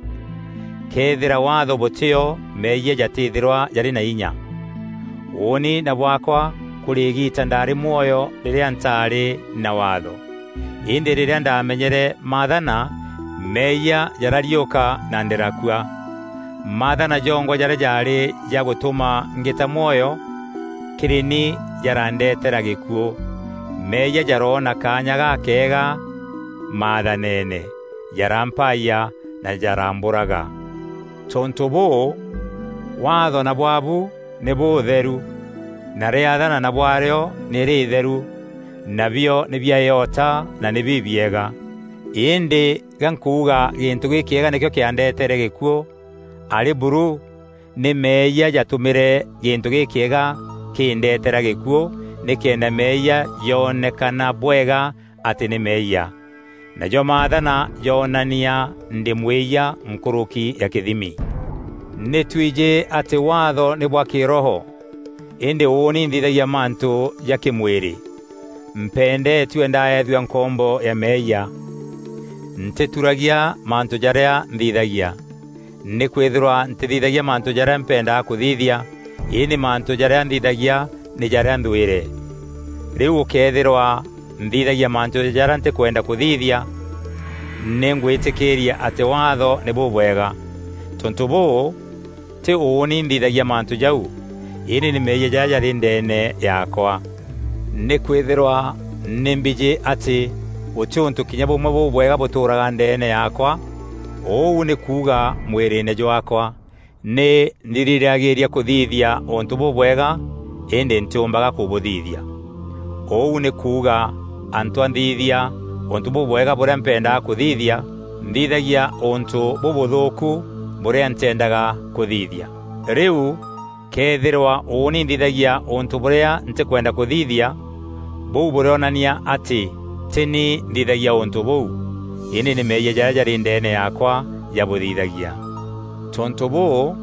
Këethîra Waatho bûtî o, meeyia jatîthîrwa jarî na inya. Ûûni na bwaakwa kûrî îgiita ndaarî mwoyo rîrîa ntaarî na Waatho. Îndî rîrîa ndaamenyere maathana, meeyia jarariûka na ndîrakua. Maathana jongwa jarîa jaarî ja gûtûma ngîta mwoyo kîrî ni jarandetera gîkuû. Meeyia jaroona kaanya gakeega maathaneene, jarampaayia na jarambûraga. Tontû bûû, Waatho na bwabu nî bûûtheru, na rîathana na bwarîo nî rîîtheru, nabio nî bia îota na nî bibiega. Îndî ga nkuuga gîntû gîkîega nîkîo kîandetere gîkuû, arî buru, nî meeyia jatûmîre gîntû gîkîega kîndeetera gîkuû, nîkenda meeyia joonekana bwega atî nî meeyia. Najo maathana joonania ndî mwîyia nkûrûki ya kîthimi. Nî twîjî atî Waatho nî bwa kîroho, îndî ûûni nthithagia mantû ja kîmwîrî. Mpendeetue ndaethua nkombo ya meeyia. Ntîturagia mantû jarîa nthithagia. Nîkwîthîrwa ntîthithagia mantû jarîa mpendaa kûthithia, îndî mantû jarîa nthithagia nî jarîa nthwîre. Rîu ûkëethîrwa nthithagia mantû jarîa ntîkwenda kûthithia, nî ngwîtîkîîria atî Waatho nî bûbwega. Tontû bûû, tî ûûni nthithagia mantû jau, îndî nî meeyia jarîa jarî ndeene yaakwa. Nîkwîthîrwa nî mbijî atî gûtî ûntû kinya bûmwe bûbwega bûtûûraga ndeene yaakwa, Ûu nî kuuga mwîrîîne jwaakwa, nî nthirîrîragîîria kûthithia ûntû bûbwega, îndî ntîûmbaga kûbûthithia. Ûu nî kuuga, antwa nthithia ûntû bûbwega bûrîa mpendaga kûthithia, nthithagia ûntû bûbûthûûku bûrîa ntîendaga kûthithia. Rîu, këethîrwa ûûni nthithagia ûntû bûrîa ntîkwenda kûthithia, bûu bûrîonania atî tî ni nthithagia ûntû bûu, îndî nî meeyia jarîa jarî ndeene yaakwa jabûthithagia. Tontû bûû,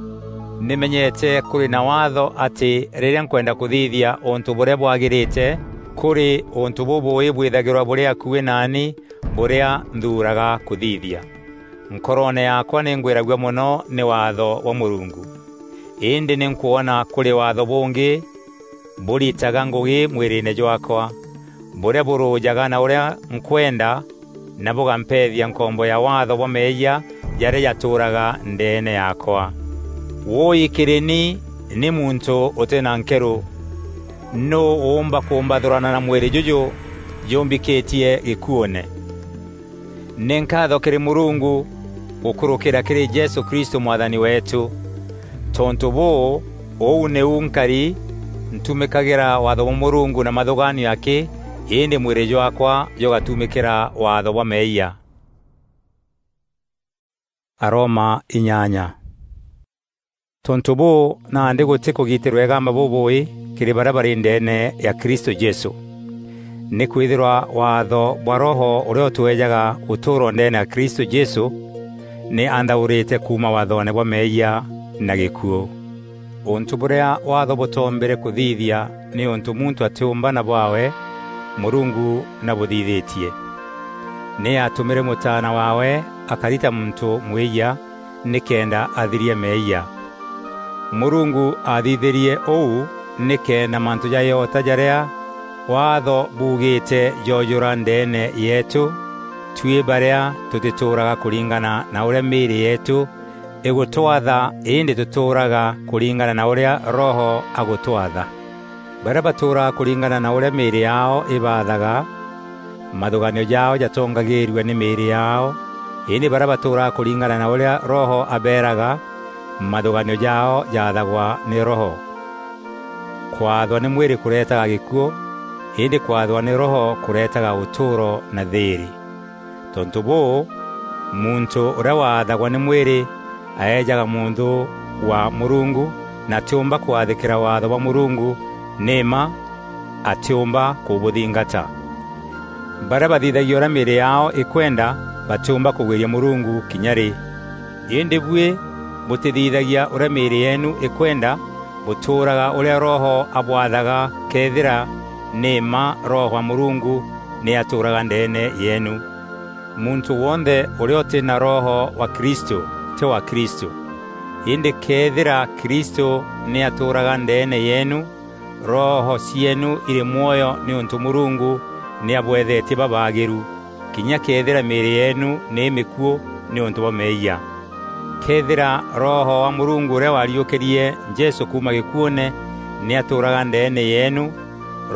nî menyete kûrî na Waatho atî rîrîa nkwenda kûthithia ûntû bûrîa bwagîrîte, kûrî ûntû bûbûûî bwîthagîrwa bûrî akuî naani bûrîa nthuuraga kûthithia. Nkoroone yaakwa nî ngwîragua mono nî Waatho bwa Mûrungu. Îndî nî nkwona kûrî Waatho bûngî bûritaga ngûgî mwîrîîne jwaakwa, bûrîa bûrûjaga na ûrîa nkwenda, na bûgampeethia nkombo ya Waatho bwa meeyia jarîa jatûûraga ndeene yaakwa. Wûûi kîrî ni nî muntû ûtî na nkerû! Nûû ûûmba kûmbathûrana na mwîrî jûjû jûmbîkîtie gîkuûne? Nî nkaatho kîrî Mûrungu gûkûrûkîra kîrî Jesû Kristû Mwathani weetû. Tontû bûû, ûu nîu nkari, ntumîkagîra Waatho bwa Mûrungu na mathûgaanio akî, îndî mwîrî jwaakwa jûgatumîkîra waatho bwa meeyia. Aroma inyanya. Tontû bûû, nandî gûtî kûgitîrwa îgamba bûbûûî kîrî barîa barî ndeene ya Kristû Jesû. Nîkwîthîrwa waatho bwa Roho ûrîa ûtweejaga ûtûûro ndeene ya Kristû Jesû, nî anthaûrîte kuuma waathoone bwa meeyia na gîkuû. Ûntû bûrîa waatho bûtoombîre kûthithia, nîûntû muntû atîûmba na bwaawe, Mûrungu nabûthithîtie. Nî aatûmîre Mûtaana waawe akari ta muntû mwîyia, nîkenda athiria meeyia. Mûrungu aathithîrie ûu nîkenda mantû ja îota jarîa Waatho buugîte joojûra ndeene yeetû, tuî barîa tûtîtûûraga kûringana na ûrîa mîîrî yeetû îgûtwatha, îndî tûtûûraga kûringana na ûrîa Roho agûtwatha. Barîa batûûraga kûringana na ûrîa mîîrî yaao îbaathaga, mathûgaanio jaao jatongagîîrua nî mîîrî yaao, îndî barîa batûûraga kûringana na ûrîa Roho abeeraga, mathûgaanio jaao jaathagwa nî Roho. Kwathwa nî mwîrî kûreetaga gîkuû, îndî kwathwa nî Roho kûreetaga ûtûûro na thîîrî. Tontû bûû, muntû ûrîa waathagwa nî mwîrî aejaga mûnthû wa Mûrungu, na atîûmba kwathîkîra waatho bwa Mûrungu, nî mma atîûmba kûbûthingata. Barîa bathithagia ûrîa mîîrî yaao îkwenda batîûmba kûgwîria Mûrungu kinya rî. Îndî buî bûtîthithagia ûrîa mîîrî yeenu îkwenda, bûtûûraga ûrîa Roho abwathaga, këethîra nî mma Roho wa Mûrungu nî atûûraga ndeene yeenu. Muntû wonthe ûrîa ûtî na Roho wa Kristû tî wa Kristû. Îndî këethîra Kristû nî atûûraga ndeene yeenu, roho cieenu irî mwoyo nîûntû Mûrungu nî abweethetie babaagîru, kinya këethîra mîîrî yeenu nî îmîkuû nîûntû bwa meeyia. Këethîra Roho wa Mûrungu ûrîa waariûkîrie Jesû kuuma gîkuûne nî atûûraga ndeene yeenu,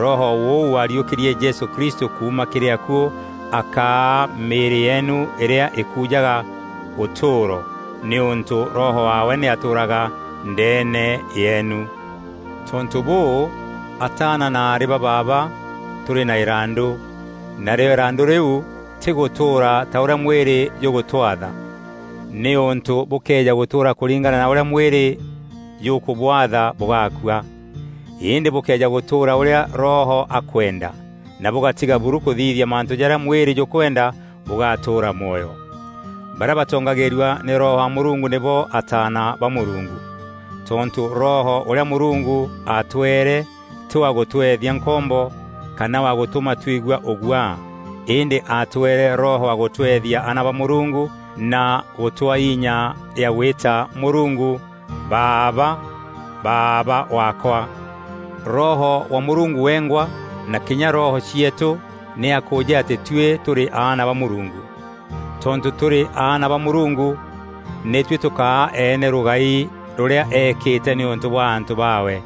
Roho ûu waariûkîrie Jesû Kristû kuuma kîrî akuû akaa mîîrî yeenu îrîa îkujaga ûtûûro, nîûntû Roho waawe nî atûûraga ndeene yeenu. Tontû bûû, ataana na aarî ba baaba, tûrî na îrandû, narîo îrandû rîu tî gûtûûra ta ûrîa mwîrî jûgûtwatha. Nîûntû bûkëeja gûtûûra kûringana na ûrîa mwîrî jûkûbwatha, bûgakua. Îndî bûkëeja gûtûûra ûrîa Roho akwenda, na bûgatiga buru kûthithia mantû jarîa mwîrî jûkwenda, bûgatûûra mwoyo. Barîa batongagîîrua nî Roho wa Mûrungu nîbo ataana ba Mûrungu. Tontû Roho ûrîa Mûrungu aatweere tî wa gûtweethia nkombo, kana wa gûtûma twigua ûguaa, îndî aatweere Roho wa gûtweethia aana ba Mûrungu, na gûtwaa inya ya gwîta Mûrungu, "Baaba, Baaba waakwa!" Roho wa Mûrungu wengwa, na kinya roho cieetû nî akûûjî atî tuî tûrî aana ba Mûrungu. Tontû tûrî aana ba Mûrungu, nî tuî tûkaa eene rûgai rûrîa eekîte nîûntû bwa antû baawe.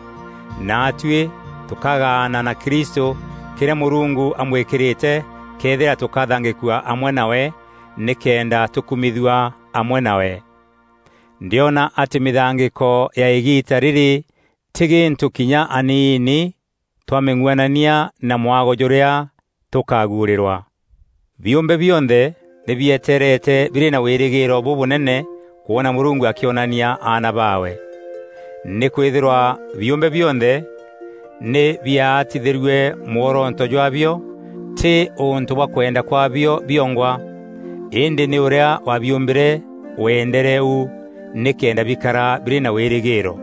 Naatuî tûkagaana na Kristû kîrîa Mûrungu amwîkîrîte, këethîra tûkathangîkua amwe nawe, nîkenda tûkumithua amwe nawe. Ndîona atî mîthangîko ya îgiita rîrî tî gîntû kinya aniini twamîng'uanania na mwago jûrîa tûkaguûrîrwa. Biûmbe bionthe nî bietereete birî na wîrîgîîro bûbûnene kwona Mûrungu akîonania aana baawe. Nîkwîthîrwa biûmbe bionthe nî biaatithîrue mworoto jwaabio, tî ûntû bwa kwenda kwaabio biongwa, îndî nî ûrîa wabiûmbîre weendere ûu nîkenda bikara birî na wîrîgîîro.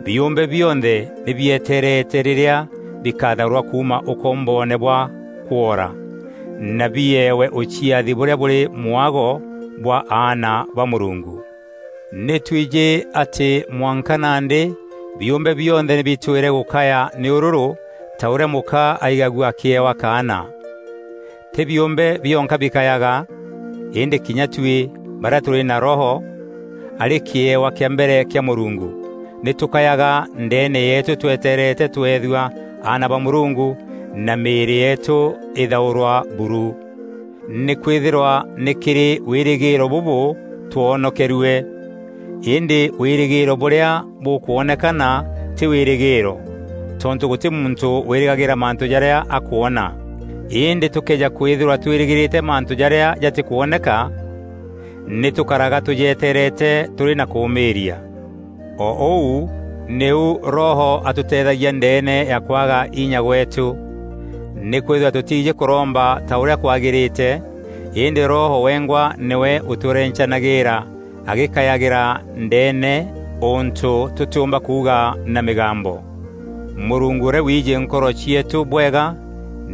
Biûmbe bionthe nî bietereete rîrîa bikatharûrwa kuuma ûkomboone bwa kwora, na bieewe ûciathi bûrîa bûrî mwago bwa aana ba Mûrungu. Nî twîjî atî mwanka nandî biûmbe bionthe nî bitwîre gûkaya nîûrûrû ta ûrîa mûka aigagua akîewa kaana. Tî biûmbe bionka bikayaga, îndî kinya tuî barîa tûrî na Roho, arî kîewa kîa mbere kîa Mûrungu, nî tûkayaga ndeene yeetû twetereete tweethua aana ba Mûrungu na mîîrî yeetû îthaûrwa buru. Nîkwîthîrwa nî kîrî wîrîgîîro bûbû twonokerue. Îndî wîrîgîîro bûrîa bûkwonekana tî wîrîgîîro, tontû gûtî muntû wîrîgagîra mantû jarîa akwona. Îndî tûkëeja kwîthîrwa twîrîgîrîte mantû jarîa jatîkwoneka, nî tûkaraga tûjetereete tûrî na kûûmîîria. O ûu nîu Roho atûteethagia ndeene ya kwaga inya gweetû. Nîkwîthîrwa tûtiijî kûromba ta ûrîa kwagîrîte, îndî Roho wengwa nîwe ûtûrencanagîîra agîkayagîra ndeene ûntû tûtîûmba kuuga na mîgambo. Mûrungu ûrîa wiijî nkoro cieetû bwega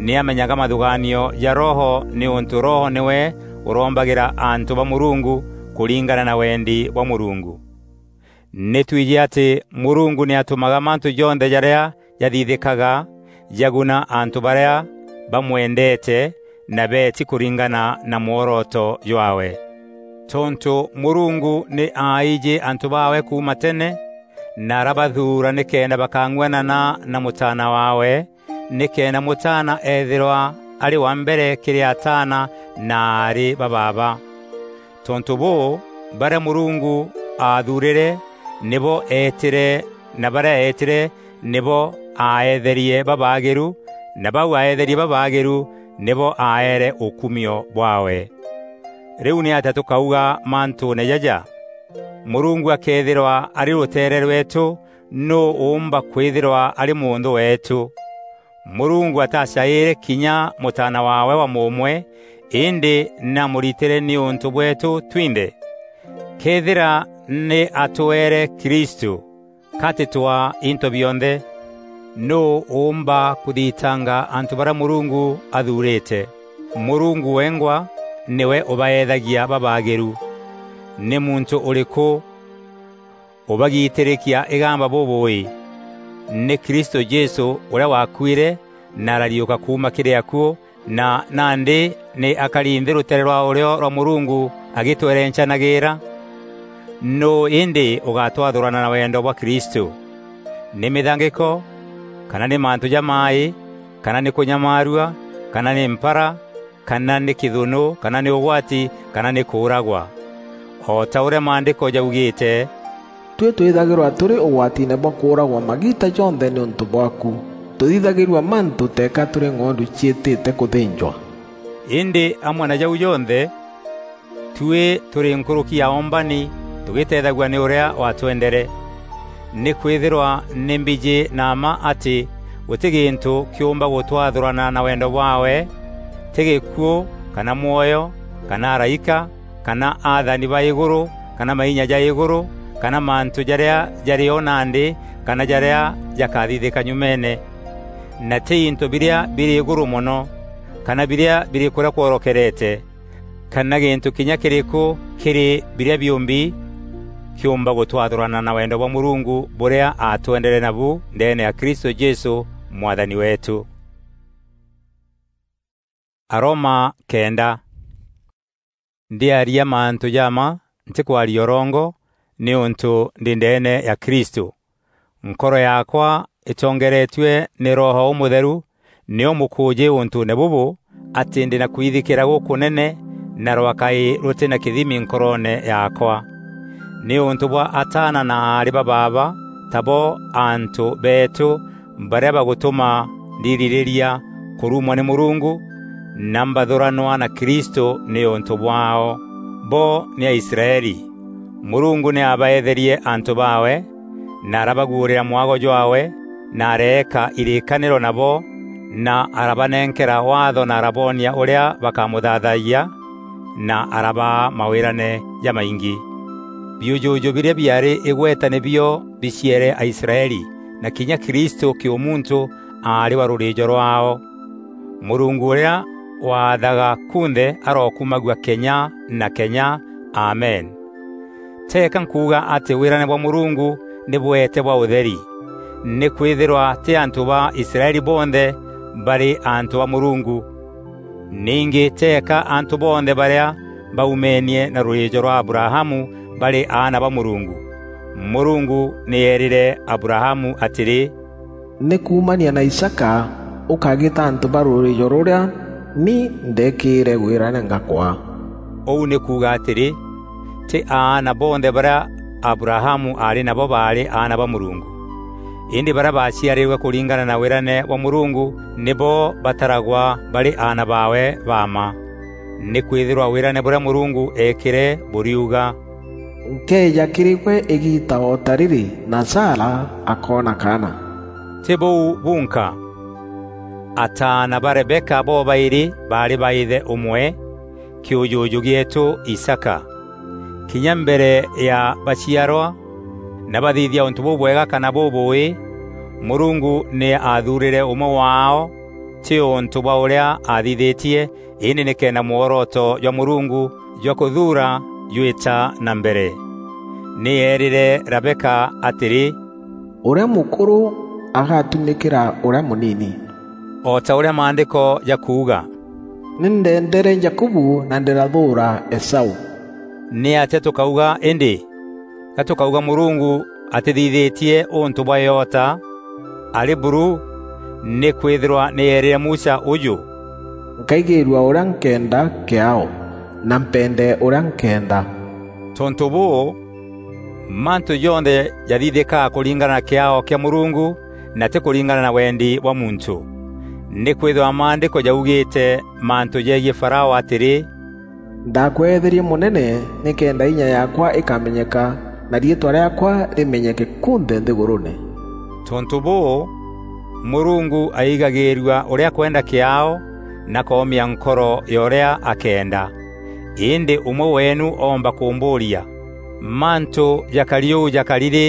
nî amenyaga mathûgaanio ja Roho, nîûntû Roho nîwe ûrombagîra antû ba Mûrungu kûringana na wendi bwa Mûrungu. Nî twîjî atî Mûrungu nî atûmaga mantû jonthe jarîa jathithîkaga jaguna antû barîa bamwendeete na beeti kûringana na mworoto jwaawe. Tontû Mûrungu nî aaijî antû baawe kuuma tene, na arabathuura nîkenda bakang'uanana na Mûtaana waawe, nîkenda Mûtaana eethîrwa arî wa mbere kîrî ataana na aarî ba baaba. Tontû bûû, barîa Mûrungu aathuurîre nîbo eetîre, na barîa eetîre nîbo aaeetherie babaagîru, na bau aeetherie babaagîru nîbo aaere ûkumio bwaawe. Rîu nîatîa tûkauga mantûûne jaja? Mûrungu akëethîrwa arî rûteere rweetû, nûû ûûmba kwîthîrwa arî mûnthû weetû? Mûrungu atacaîîre kinya Mûtaana waawe wa mûûmwe, îndî nî amûritîre nîûntû bweetû twinthe. Këethîra nî atweere Kristû, ka tîtwaa into bionthe? Nûû ûûmba kûthitanga antû barîa Mûrungu athuurîte? Mûrungu wengwa nîwe ûbaeethagia babaagîru. Nî muntû ûrîkû ûbagiitîrîkia îgamba bûbûûî? Nî Kristû Jesû ûrîa waakuîre na arariûka kuuma kîrî akuû, na nandî nî akari nthî rûteere rwa ûrîo rwa Mûrungu agîtwerencanagîîra. Nûû îndî ûgatwathûrana na wendo bwa Kristû? Nî mîthangîko, kana nî mantû jamaaî, kana nî kûnyamaarua, kana nî mpara, kana nî kîthûnû, kana nî ûgwati, kana nî kûûragwa? O ta ûrîa Maandîko jaugîîte, "Tuî twîthagîrwa tûrî ûgwatiine bwa kûûragwa magiita jonthe nîûntû bwaaku. Tûthithagîrua mantû teeka tûrî ng'ondu ciîtîte kûthînjwa." Îndî amwe na jau jonthe, tuî tûrî nkûrûki ya oombani tûgîteethagua nî ûrîa watwendere. Nîkwîthîrwa nî mbijî na mma atî gûtî gîntû kîûmba gûtwathûrana na wendo bwaawe, tî gîkuû, kana mwoyo, kana araîka, kana athani ba îgûrû, kana mainya ja îgûrû, kana mantû jarîa jarî o nandî, kana jarîa jakathithîka nyumeene. Na tî into birîa birî îgûrû mono, kana birîa birî kûrîa kworokerete, kana gîntû kinya kîrîkû kîrî birîa biûmbi kîûmba gûtwathûrana na wendo bwa Mûrungu bûrîa aatwendere nabu ndeene ya Kristû Jesû Mwathani weetû. Aroma kenda. Ndîaria mantû ja mma, ntîkwaria ûrongo, nîûntû ndî ndeene ya Kristû. Nkoro yaakwa îtongeretue nî Roho Ûmûtheru nîyo mûkûûjî ûntûûne bûbû, atî ndî na kwithikîra gûkûnene na rwakai rûtî na kîthimi nkoroone yaakwa. Nîûntû bwa ataana na aarî ba baaba, tabo antû beetû barîa bagûtûma ndirirîria kûrumwa nî Mûrungu, na mbathûranwa na Kristû nîûntû bwaao. Bo nî Aisraeli. Mûrungu nî aabaetherie antû baawe, na arabaguûrîra mwago jwaawe, na areeka irîîkanîro nabo, na arabanenkera Waatho na araboonia ûrîa bakamûthaathayia, na arabaa mawîrane jamaingî. Biûjûjû birîa biaarî îgweta nîbio biciere Aisraeli, na kinya Kristû kîûmuntû aarî wa rûrîîjo rwaao. Mûrungu ûrîa waathaga kunthe arokumagua kenya na kenya. Amen. Teeka nkuuga atî wîrane bwa Mûrungu nî bweete bwa ûtheri, nîkwîthîrwa tî antû ba Israeli bonthe barî antû ba Mûrungu. Ningî teeka antû bonthe barîa baumeenie na rûrîîjo rwa Abrahamu barî aana ba Mûrungu. Mûrungu nî eerîre Abrahamu atîrî, "Nî kuumania na Isaaka ûkagîta antû ba rûrîîjo rûrîa ni ndeekîîre wîrane ngakwaa." Ûu nî kuuga atîrî, tî aana bonthe barîa Abrahamu aarî nabo baarî aana ba Mûrungu. Îndî barîa baaciarîrwe kûringana na wîrane bwa Mûrungu nîbo bataragwa barî aana baawe ba mma. Nîkwîthîrwa wîrane bûrîa Mûrungu eekîre bûriuga, "Nkeeja kîrî gwe îgiita o ta rîrî, na Sara akoona kaana." Tî bûu bunka. Ataana ba Rebeka bobaîrî baarî ba îthe ûmwe, kîûjûjû gîeetû Isaaka. Kinya mbere ya baciarwa, na bathithia ûntû bûbwega kana bûbûûî, Mûrungu nî aathuurîre ûmwe waao, tî ûntû bwa ûrîa aathithîtie, îndî nîkenda mworoto jwa Mûrungu jwa kûthuura jwîta na mbere. Nî eerîre Rebeka atîrî, "Ûrîa mûkûrû agatumîkîra ûrîa mûnini." O ta ûrîa Maandîko jakuuga, "Nî ndendeere Jakubu na ndîrathûûra Esau." Nîatîa tûkauga îndî? Ga tûkauga Mûrungu atîthithîtie ûntû bwa îota arî buru, nîkwîthîrwa nî eerîre Musa ûjû, "Nkaigîîrua ûrîa nkeenda kîaao, na mpende ûrîa nkeenda." Tontû bûû, mantû jonthe jathithîkaa kûringana na kîaao kîa Mûrungu na tî kûringana na wendi bwa muntû. Nîkwîthîrwa Maandîko jaugîîte mantû jegiî Farao atîrî, "Ndakweetherie mûnene nîkenda inya yaakwa îkamenyeka, na riîtwa rîaakwa rîmenyeke kunthe nthîgûrûûne." Tontû bûû, Mûrungu aigagîîrua ûrîa akwenda kîaao na koomia nkoro ya ûrîa akeenda. Îndî ûmwe weenu oomba kûmbûûria, "Mantû jakari ûu jakari rî,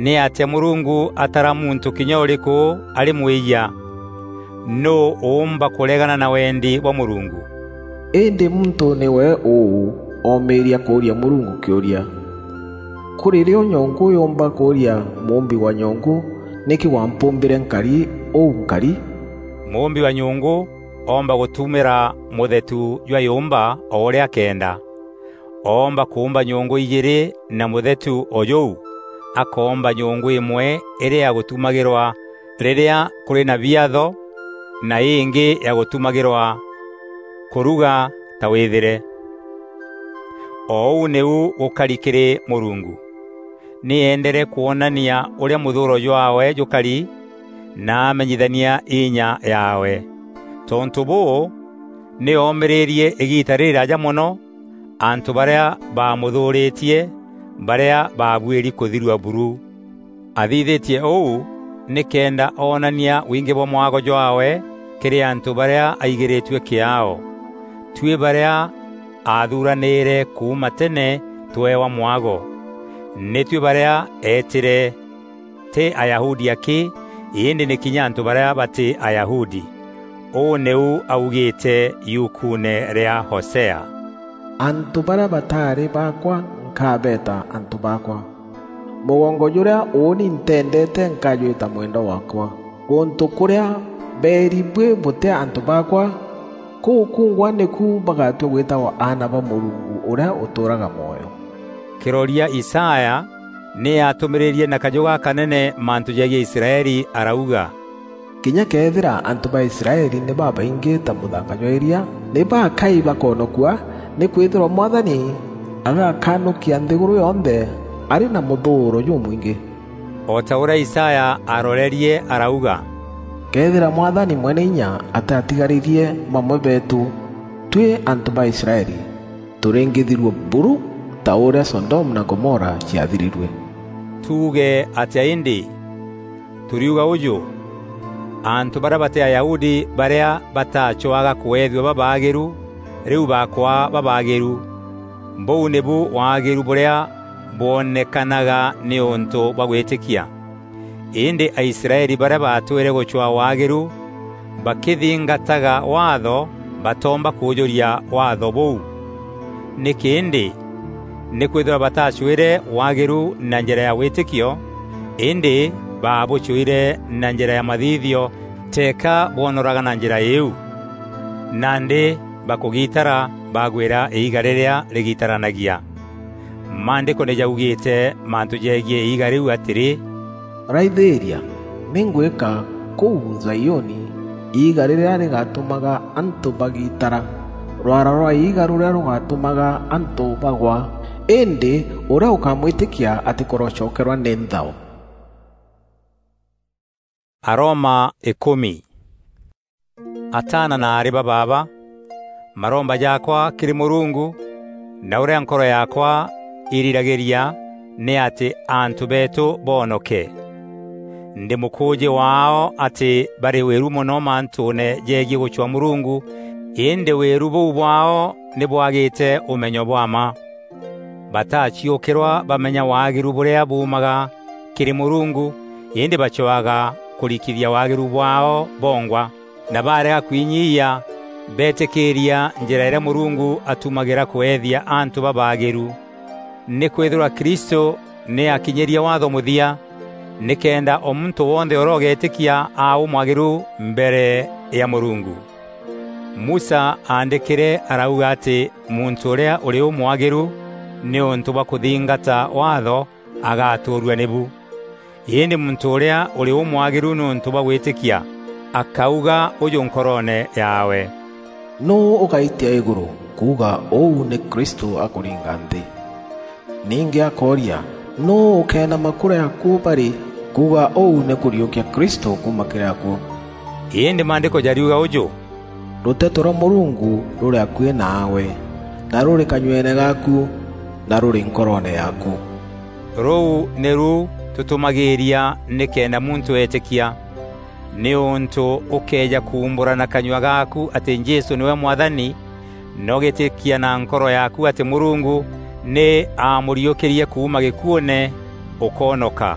nîatîa Mûrungu atara muntû kinya ûrîkû arî mwîyia? Nûû ûûmba kûregana na wendi bwa Mûrungu?" Îndî muntû nîwe ûû oomîîria kûûria Mûrungu kîûria, "Kûrî rîo nyongû yûûmba kûûria mûûmbi wa nyongû, 'Nîkî wampûmbîre nkari ûu nkari?'" Mûûmbi wa nyongû oomba gûtumîra mûthetu jwa yûûmba o ûrîa akeenda. Oomba kûûmba nyongû ijîîrî na mûthetu o jûu, akoomba nyongû îmwe îrî ya gûtumagîrwa rîrîa kûrî na biatho, na îngî ya gûtumagîrwa kûruga ta wîthîre. O ûu nîu gûkari kîrî Mûrungu. Nî eendere kwonania ûrîa mûthûûro jwaawe jûkari, na amenyithania inya yaawe. Tontû bûû, nî oomîrîrie îgiita rîrîraaja mono antû barîa baamûthûûrîtie, barîa baabuîri kûthirua buru. Athithîtie ûu nîkenda oonania wingî bwa mwago jwaawe kîrî antû barîa aigîrîtue kîaao. Tuî barîa aathuranîîre kuuma tene tweewa mwago. Nî tuî barîa eetîre, tî Ayahudi akî, îndî nî kinya antû barîa batî Ayahudi. Ûu nîu augîîte yukuune rîa Hosea, "Antû barîa bataarî baakwa nkabeeta antû baakwa. Mûgongo jûrîa ûûni ntendeete nkajwîta mwendwa waakwa. Gûntû kûrîa beeri buî bûtî antû baakwa, kûu kungwa nîku bagatua gwîtagwa aana ba Mûrungu ûrîa ûtûûraga mwoyo." Kîroria Isaya nî aatûmîrîrie na kajû gakanene mantû jegiî Israeli, arauga, "Kinya këethîra antû ba Israeli nî babaingî ta mûthanga jwa îria, nî bakai bakonokua, Nîkwîthîrwa Mwathani agakanukia nthîgûrû yonthe arî na mûthûûro jûmwingî. O ta ûrîa Isaya aarorerie arauga, "Këethîra Mwathani Mweneinya atîatigarîrie bamwe beetû, tuî antû ba Israeli, tûrîngîthirue buru ta ûrîa Sodomu na Gomora ciathirirue." Tuuge atîa îndî? Tûriuga ûjû: antû barîa batî Ayahudi barîa batacwaga kweethua babaagîru, rîu bakwaa babaagîru. Bûu nîbu waagîru bûrîa bwonekanaga nîûntû bwa gwîtîkia. Îndî Aisraeli barîa baatwîre gûcwaa waagîru bakîthingataga Waatho, batoomba kûûjûria Waatho bûu. Nîkî îndî? Nîkwîthîrwa batacwîre waagîru na njîra ya wîtîkio, îndî baabûcwîre na njîra ya mathithio, teeka bwonoraga na njîra îîu. Nandî bakûgitara bagwîra îiga rîrîa rîgitaranagia. Maandîko nî jaugîte mantû jegiî îiga rîu atîrî, "Raithîîria, nî ngwîka kûu Zaioni, iiga rîrîa rîgatûmaga antû bagitara, rwara rwa iiga rûrîa rûgatûmaga antû bagwa, îndî ûrîa ûkamwîtîkia atîkûrocokerwa nî nthao." Aroma îkûmi. Ataana na aarî ba baaba, maromba jaakwa kîrî Mûrungu, na ûrîa nkoro yaakwa îriragîria, nî atî antû beetû boonoke. Ndî mûkûûjî waao atî barî wîru mono mantûûne jegiî gûcwaa Mûrungu, îndî wîru bûu bwaao nî bwagîte ûmenyo bwa mma. Bataciûkîrwa bamenya waagîru bûrîa buumaga kîrî Mûrungu, îndî bacwaga kûrikithia waagîru bwaao bongwa, na barega kwinyiia, beetîkîîria njîra îrîa Mûrungu atumagîra kweethia antû babaagîru. Nîkwîthîrwa Kristû nî akinyîrie Waatho mûthia, nîkenda o muntû wonthe ûrîa ûgeetîkia aa ûmwagîru mbere ya Mûrungu. Musa aandîkîre arauga atî muntû ûrîa ûrî ûmwagîru nîûntû bwa kûthingata Waatho agatûûrua nîbu. Îndî muntû ûrîa ûrî ûmwagîru nîûntû bwa gwîtîkia, akauga ûjû nkoroone yaawe, "Nûû ûgaitia îgûrû kuuga ûu nî Kristû akûringa nthî?" Ningî akooria, "Nûû ûkeenama kûrîa akuû barî kuuga ûu nî kûriûkia Kristû kuuma kîrî akuû?" Îndî Maandîko jariuga ûjû, "Rûteto rwa Mûrungu rûrî akuî naawe, na rûrî kanyueene gaaku, na rûrî nkoroone yaaku." Rûu nîru tûtûmagîîria nîkenda muntû eetîkia. Nîûntû ûkëeja kuumbûra na kanyua gaaku atî Jesû nîwe Mwathani, na ûgîtîkia na nkoro yaaku atî Mûrungu nî aamûriûkîrie kuuma gîkuûne, ûkoonoka.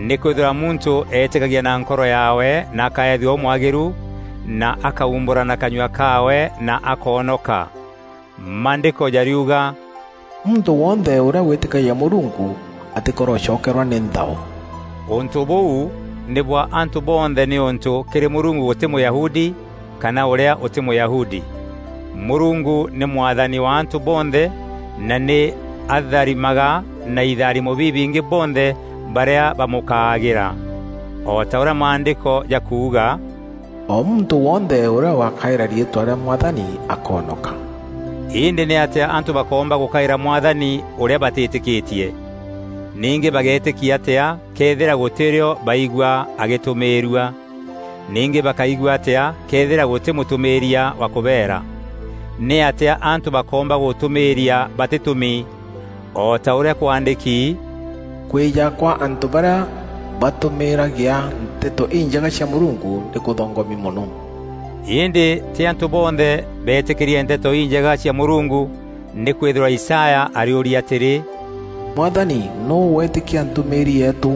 Nîkwîthîrwa muntû eetîkagia na nkoro yaawe na akaethua ûmwagîru, na akaumbûra na kanyua kaawe na akoonoka. Maandîko jariuga, "Muntû wonthe ûrîa wîtîkagia Mûrungu atîkorocokerwa nî nthao." Ûntû bûu nî bwa antû bonthe, nîûntû kîrî Mûrungu gûtî Mûyahudi kana ûrîa ûtî Mûyahudi. Mûrungu nî Mwathani wa antû bonthe, na nî atharimaga na itharimo bibingî bonthe barîa bamûkaagîra. O ta ûrîa Maandîko jakuuga, "O muntû wonthe ûrîa ûgakaîra riîtwa rîa Mwathani akoonoka." Îndî nîatîa antû bakoomba gûkaîra Mwathani ûrîa batîtîkîtie? Ningî bageetîkia atîa këethîra gûtî rîo baigua agîtûmîîrua? Ningî bakaigua atîa këethîra gûtî mûtûmîîria wa kûbeera? Nîatîa antû bakoomba gûtûmîîria batîtûmi? O ta ûrîa kwaandîki, "Kwîja kwa antû barîa batûmîîragia nteto injega cia Mûrungu nî kûthongomi mono." Îndî tî antû bonthe beetîkîrie nteto injega cia Mûrungu, nîkwîthîrwa Isaya arîûria atîrî, "Mwathani, nûû weetîkia ntûmîîri yeetû?"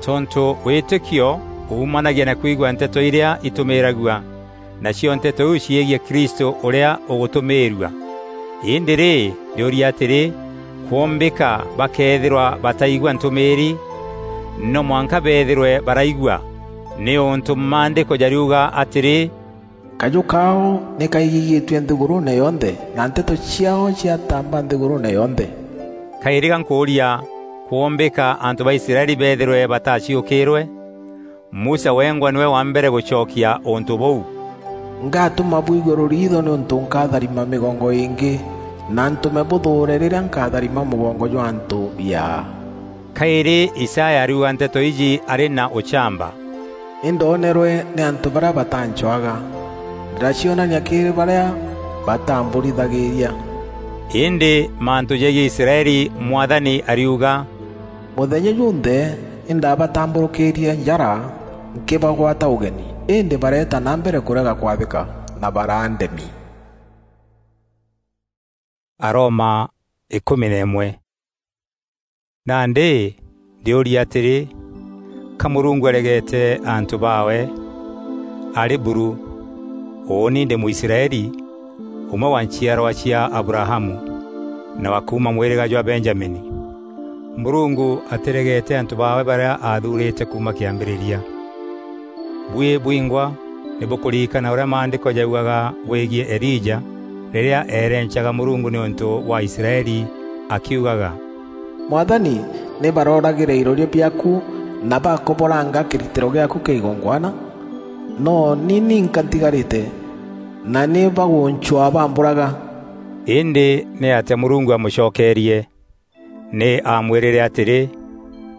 Tontû wîtîkio uumanagia na kwigua nteto irîa itûmîîragua, nacio nteto iu ciegiî Kristû ûrîa ûgûtûmîîrua. Îndî rî, ndîûria atîrî, kwombîka bakeethîrwa bataigua ntûmîîri? No mwanka beethîrwe baraigua, nîûntû Maandîko jariuga atîrî, "Kajû kaao nî kaigîgîtue nthîgûrûûne yonthe, na nteto ciaao ciatamba nthîgûrûûne yonthe." Kaîrî ga nkûûria, kwombîka antû ba Israeli beethîrwe bataciûkîîrwe? Musa wengwa nîwe wa mbere gûcokia ûntû bûu. Ngatuma bwigwe ruriitho niuntu nkatharima migongo ingi, na ntume buthuure riria nkatharima mugongo jwa antu biaa. Kairi Isaya ariuga nteto iji ari na uchamba: Indoonerwe ni antu baria batancwaga, ndiracionania kiri baria batamburithagiria. Indi mantu jegie Israeli, Mwathani ariuga: Muthenya junthe indabatamburukirie njara nkibagwata ugeni, indi bareeta na mbere kurega kwathika na baraandemi. Aroma ikumi na imwe. Nandi ndiuria atiri, ka Murungu aregete antu baawe? Ari buru! Uuni ndi Mwisraeli, umwe wa nchiarwa cia Abrahamu, na wa kuuma mwiriga jwa Benjamini. Murungu atiregete antu baawe baria aathuurite kuuma kiambiriria. Buî bwingwa ni bukuririkana uria Maandiko jaugaga bwegie Elija, riria eerencaga Murungu niuntu wa Israeli, akiugaga: Mwathani, ni barooragire iroria biaaku, na bakoboranga kiritiro giaaku kia igongwana, no ni ninka ntigarite, na ni baguncwaa bamburaga. Indi niatia Murungu amucokerie? Ni aamwirire atiri: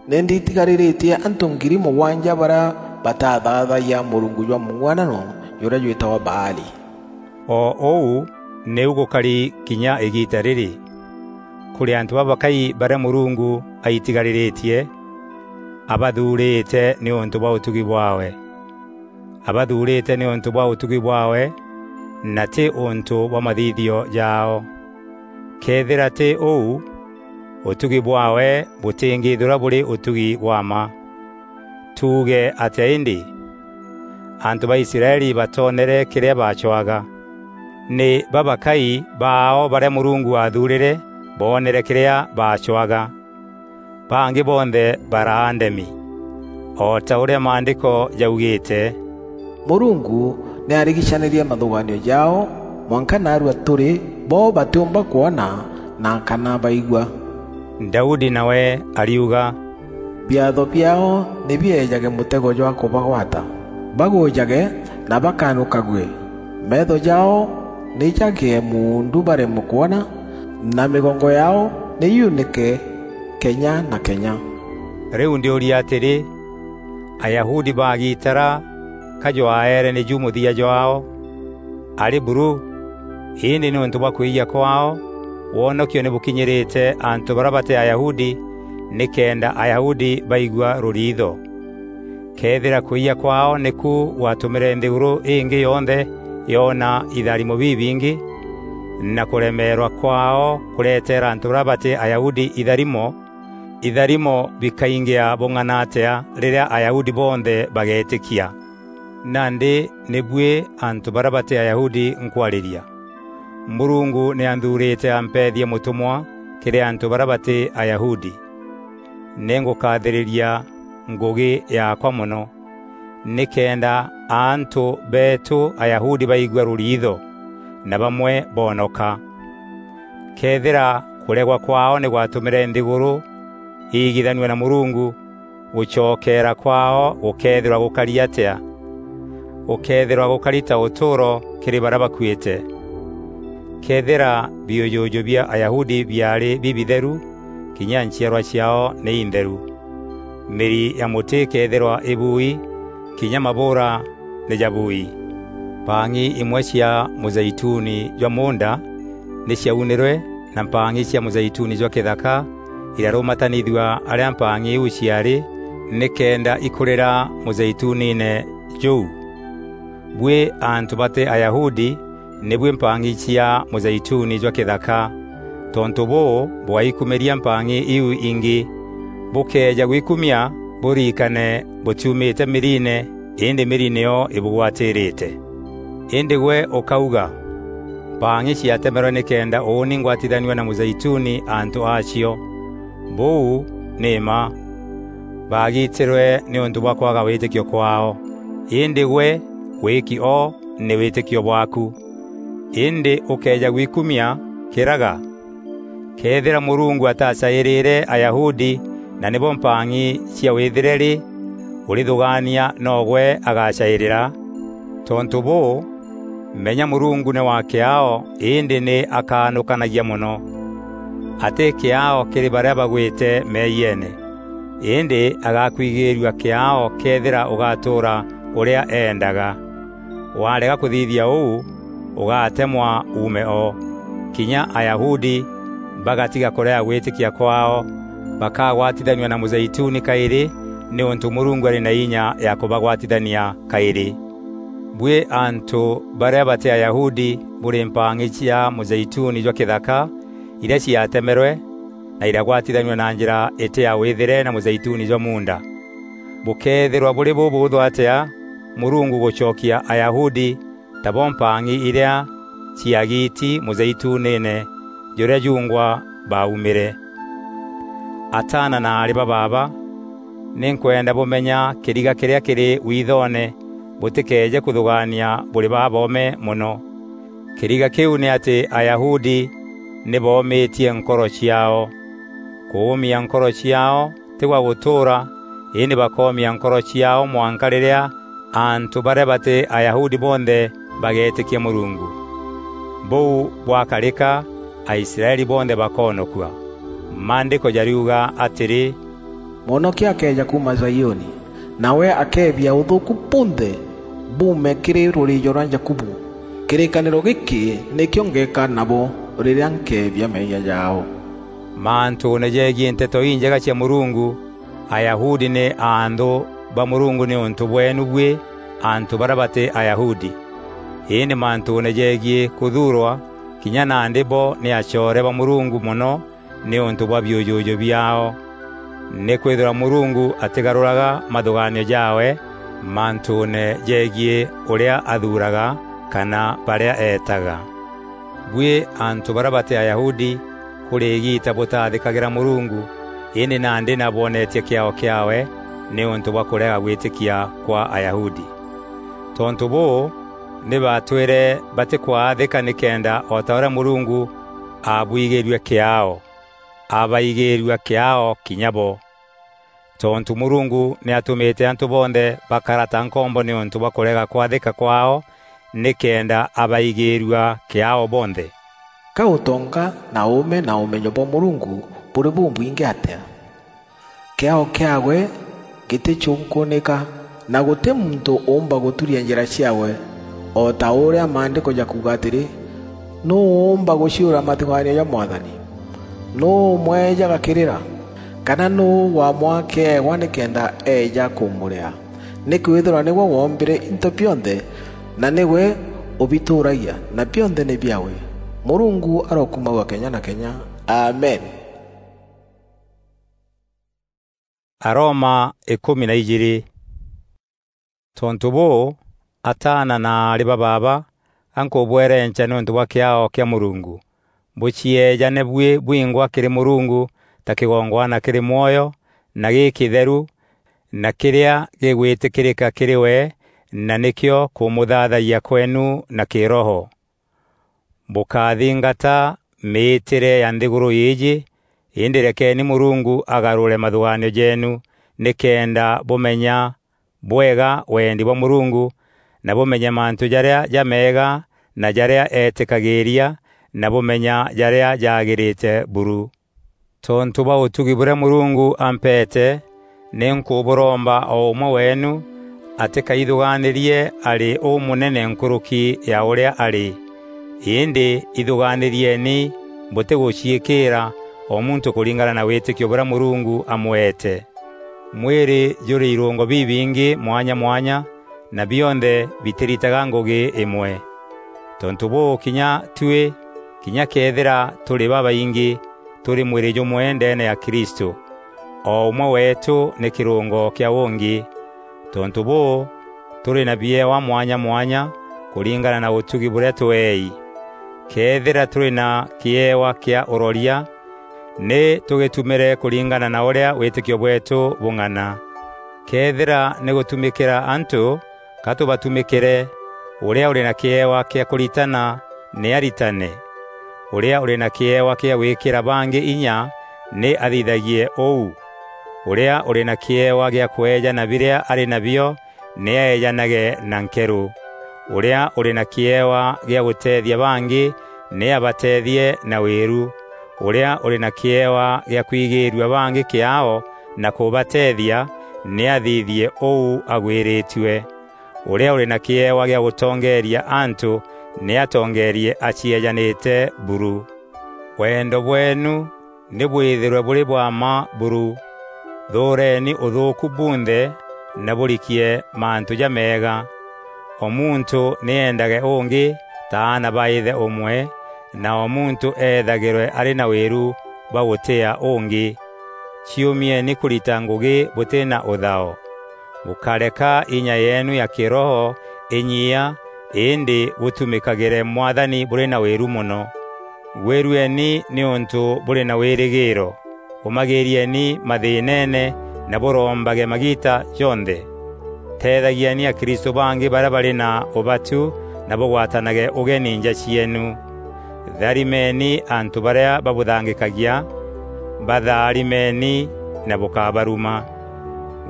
Ni nditigariritie antu ngiri mugwanja baria batathaathayia murungu jwa mung'uanano juria jwitagwa Baali. O uu niu gukari kinya igiita riri. Kuri antu babakai baria Murungu aitigariritie, abathuurite niuntu bwa utugi bwaawe. Abathuurite niuntu bwa utugi bwaawe, na ti untu bwa mathithio jaao. Keethira ti uu, utugi bwaawe butingithirwa buri utugi bwa mma. Tuuge atia indi? Antu ba Israeli batoonere kiria baacwaga. Ni babakai baao baria Murungu aathuurire boonere kiria baacwaga. Bangi bonthe baraa ndemi, o ta uria Maandiko jaugite: Murungu ni arigicanirie mathugaanio jaao, mwanka naarua turi, bo batiumba kwona, na kana baigua. Daudi nawe ariuga: Biatho biaao ni bieejage mutego jwa kubagwata, bagujage na bakanukague. Meetho jaao ni jagie muundu baremwe kwona, na migongo yaao ni yuunike kenya na kenya. Riu ndiuria atiri, Ayahudi baagitara ka jwaere niju muthia jwaao? Ari buru! Indi niuntu bwa kwiyia kwaao, wonokio ni bukinyirite antu baria bati Ayahudi, nikenda Ayahudi baigua ruriitho. Keethira kwiyia kwaao niku gwatumire nthiguru ingi yonthe yoona itharimo bibingi, na kuremeerwa kwaao kureteera antu baria bati Ayahudi itharimo, itharimo bikaingia bung'ana atia riria Ayahudi bonthe bageetikia? Nandi ni buî antu baria bati Ayahudi nkwariria. Murungu ni anthuurite ampeethie mutumwa kiri antu baria bati Ayahudi. Ni ngukathiriria ngugi yaakwa mono, nikenda antu beetu Ayahudi baigua ruriitho, na bamwe boonoka. Keethira kuregwa kwaao ni gwatumire nthiguru iigithanua na Murungu, gucokeera kwaao gukeethirwa gukari atia? Gukeethirwa gukari ta utuuro kiri baria bakuite. Keethira biujuju bia Ayahudi biaari bibitheru, kinya nchiarwa ciaao ni intheru. Miri ya muti ikeethirwa ibuui, kinya mabuura ni jabuui. Mpang'i imwe cia muzeituni jwa muunda ni ciaunirwe, na mpang'i cia muzeituni jwa kithaka irarumatanithua aria mpang'i iu ciaari, nikenda ikurira muzeituniine juu. Buî antu bati Ayahudi, ni buî mpang'i cia muzeituni jwa kithaka. Tontu buu, bwaikumiria mpang'i iu ingi. Bukeeja gwikumia, buririkane butiumite miriine, indi miri niyo ibugwatiirite. Indi gwe ukauga, "Mpang'i ciatemerwe nikenda uuni ngwatithanua na muzeituni antu aacio." Buu ni mma. Baagitirwe niuntu bwa kwaga witikio kwaao. Indi gwe, wiki o ni witikio bwaaku. Indi ukeeja gwikumia, kiraga. Keethira Murungu atacairire Ayahudi, na nibo mpang'i cia withire ri, urithugaania nogwe agacairira? Tontu buu, Menya Murungu nî wa kîaao, îndî nî akaanûkanagia mono. Atî kîaao kîrî barîa bagwîte meeyiene, îndî agakwigîîrua kîaao këethîra ûgatûûra ûrîa eendaga. Warega kûthithia ûu, ûgatemwa uume o. Kinya Ayahudi bagatiga kûrega gwîtîkia kwaao, bakagwatithanua na mûzeituni kaîrî, nîûntû Mûrungu arî na inya ya kûbagwatithania kaîrî. Buî antû barîa batî Ayahudi bûrî mpang'i cia mûzeituni jwa kîthaka, irîa ciatemerwe na iragwatithanua na njîra îtî ya wîthîre na mûzeituni jwa muunda. Bûkeethîrwa bûrî bûbûûthû atîa Mûrungu gûcokia Ayahudi tabo mpang'i irîa ciagiiti mûzeituniine jûrîa juungwa baaumîre? Ataana na aarî ba baaba, nî nkwenda bûmenya kîriga kîrîa kîrî withoone bûtîkeeje kûthûgaania bûrî baboome mono. Kîriga kîu nî atî Ayahudi nî boomîtie nkoro ciaao. Kûûmia nkoro ciaao tî gwa gûtûûra, îndî bakoomia nkoro ciaao mwanka rîrîa antû barîa batî Ayahudi bonthe bageetîkia Mûrungu. Bûu bwakarîka, Aisraeli bonthe bakoonokua. Maandîko jariuga atîrî, "Mwonokia akeeja kuuma Zaioni, nawe akeebia ûthûûku bunthe buume kîrî rûrîîjo rwa Jakubu. Kîrîkanîro gîkî nîkîo ngeeka nabo rîrîa nkeebia meeyia jaao." Mantûûne jegiî Nteto Injega cia Mûrungu, Ayahudi nî aanthû ba Mûrungu nîûntû bweenu buî antû barîa batî Ayahudi. Îndî mantûûne jegiî kûthuurwa, kinya nandî bo nî acoore ba Mûrungu mono nîûntû bwa biûjûjû biaao. Nîkwîthîrwa Mûrungu atîgarûraga mathûgaanio jaawe mantûûne jegiî ûrîa athuuraga kana barîa eetaga. Buî antû barîa batî Ayahudi, kûrî îgiita bûtaathîkagîra Mûrungu, îndî nandî nabwonetie kîaao kîaawe nîûntû bwa kûrega gwîtîkia kwa Ayahudi. Tontû bûû, nî baatwîre batîkwaathîka nîkenda o ta ûrîa Mûrungu aabwigîrue kîaao, abaigîîrua kîaao kinya bo. Tontû Mûrungu nî atûmîte antû bonthe bakara ta nkombo nîûntû bwa kûrega kwathîka kwaao, nîkenda abaigîîrua kîaao bonthe. Ka ûtonga na ûûme na ûmenyo bwa Mûrungu bûrî bûbwingî atîa! Kîaao kîaawe gîtîcûnkûûnîka, na gûtî muntû ûûmba gûturia njîra ciaawe. O ta ûrîa Maandîko jakuuga atîrî, "Nûû ûûmba gûciûra mathûgaanio ja Mwathani? Nûû ûmweejaga kîrîra? Kana nûû wamwaa kîewa nîkenda eeja kûmûrîa? Nîkwîthîrwa nîgwe woombîre into bionthe, na nîgwe ûbitûûragia, na bionthe nî biaawe. Mûrungu arokumagua kenya na kenya. Amen." Aroma îkûmi na ijîîrî. Tontû bûû, ataana na aarî ba baaba, a nkûbwerenca nîûntû bwa kîaao kîa Mûrungu, bûcieejane buî bwingwa kîrî Mûrungu ta kîgongwana kîrî mwoyo na gîkîtheru, na kîrîa gîgwîtîkîrîka kîrî we, na nîkîo kûmûthaathayia kweenu na kîroho. Bûkathingata mîîtîre ya nthîgûrû îîjî, îndî rekeeni Mûrungu agarûre mathûgaanio jeenu, nîkenda bûmenya bwega wendi bwa Mûrungu, na bûmenye mantû jarîa jameega na jarîa eetîkagîîria, na bûmenya jarîa jaagîrîte buru. Tontû bwa ûtugi bûrîa Mûrungu ampeete, nî nkûbûromba o ûmwe weenu atîkaithûgaanîrie arî ûmûnene nkûrûki ya ûrîa arî. Îndî ithûgaanîrieni bûtîgûciîkîîra, o muntû kûringana na wîtîkio bûrîa Mûrungu amweete. Mwîrî jûrî irûngo bibingî mwanya mwanya, na bionthe bitîritaga ngûgî îmwe. Tontû bûû, kinya tuî, kinya këethîra tûrî babaingî, tûrî mwîrî jûmwe ndeene ya Kristû, o ûmwe weetû nî kîrûngo kîa ûngî. Tontû bûû, tûrî na biewa mwanya mwanya kûringana na ûtugi bûrîa tweei. Këethîra tûrî na kîewa kîa ûroria, nî tûgîtumîre kûringana na ûrîa wîtîkio bweetû bûng'ana. Këethîra nî gûtumîkîra antû, ka tûbatumîkîre. Ûrîa ûrî na kîewa kîa kûritana, nî aritane. Ûrîa ûrî na kîewa kîa gwîkîra bangî inya, nî athithagie ûu. Ûrîa ûrî na kîewa gîa kweejana birîa arî nabio, nî aeejanage na nkerû. Ûrîa ûrî na kîewa gîa gûteethia bangî, nî abateethie na wîru. Ûrîa ûrî na kîewa gîa kwigîîrua bangî kîaao na kûbateethia, nî athithie ûu agwîrîtue. Ûrîa ûrî na kîewa gîa gûtongeeria antû, nî atongeerie acieejanîte buru. Wendo bweenu nî bwîthîrwe bûrî bwa mma buru. Thûûreeni ûthûûku bunthe na bûrikie mantû jameega. O muntû nî eendage ûngî ta aana ba îthe ûmwe, na o muntû eethagîrwe arî na wîru bwa gûtîîa ûngî. Ciûmieni kûrita ngûgî bûtî na ûthao. Bûkáreka inya yeenu ya kîroho înyiia, îndî bûtumîkagîre Mwathani bûrî na wîru mono. Gwîrueni nîûntû bûrî na wîrîgîîro. Ûmagîîrieni mathîîneene na bûrombage magiita jonthe. Teethagieni akristû bangî barîa barî na ûbatu na bûgwatanage ûgeni nja cieenu. Tharimeni antû barîa babûthangîkagia, batharimeni na bûkabaruma.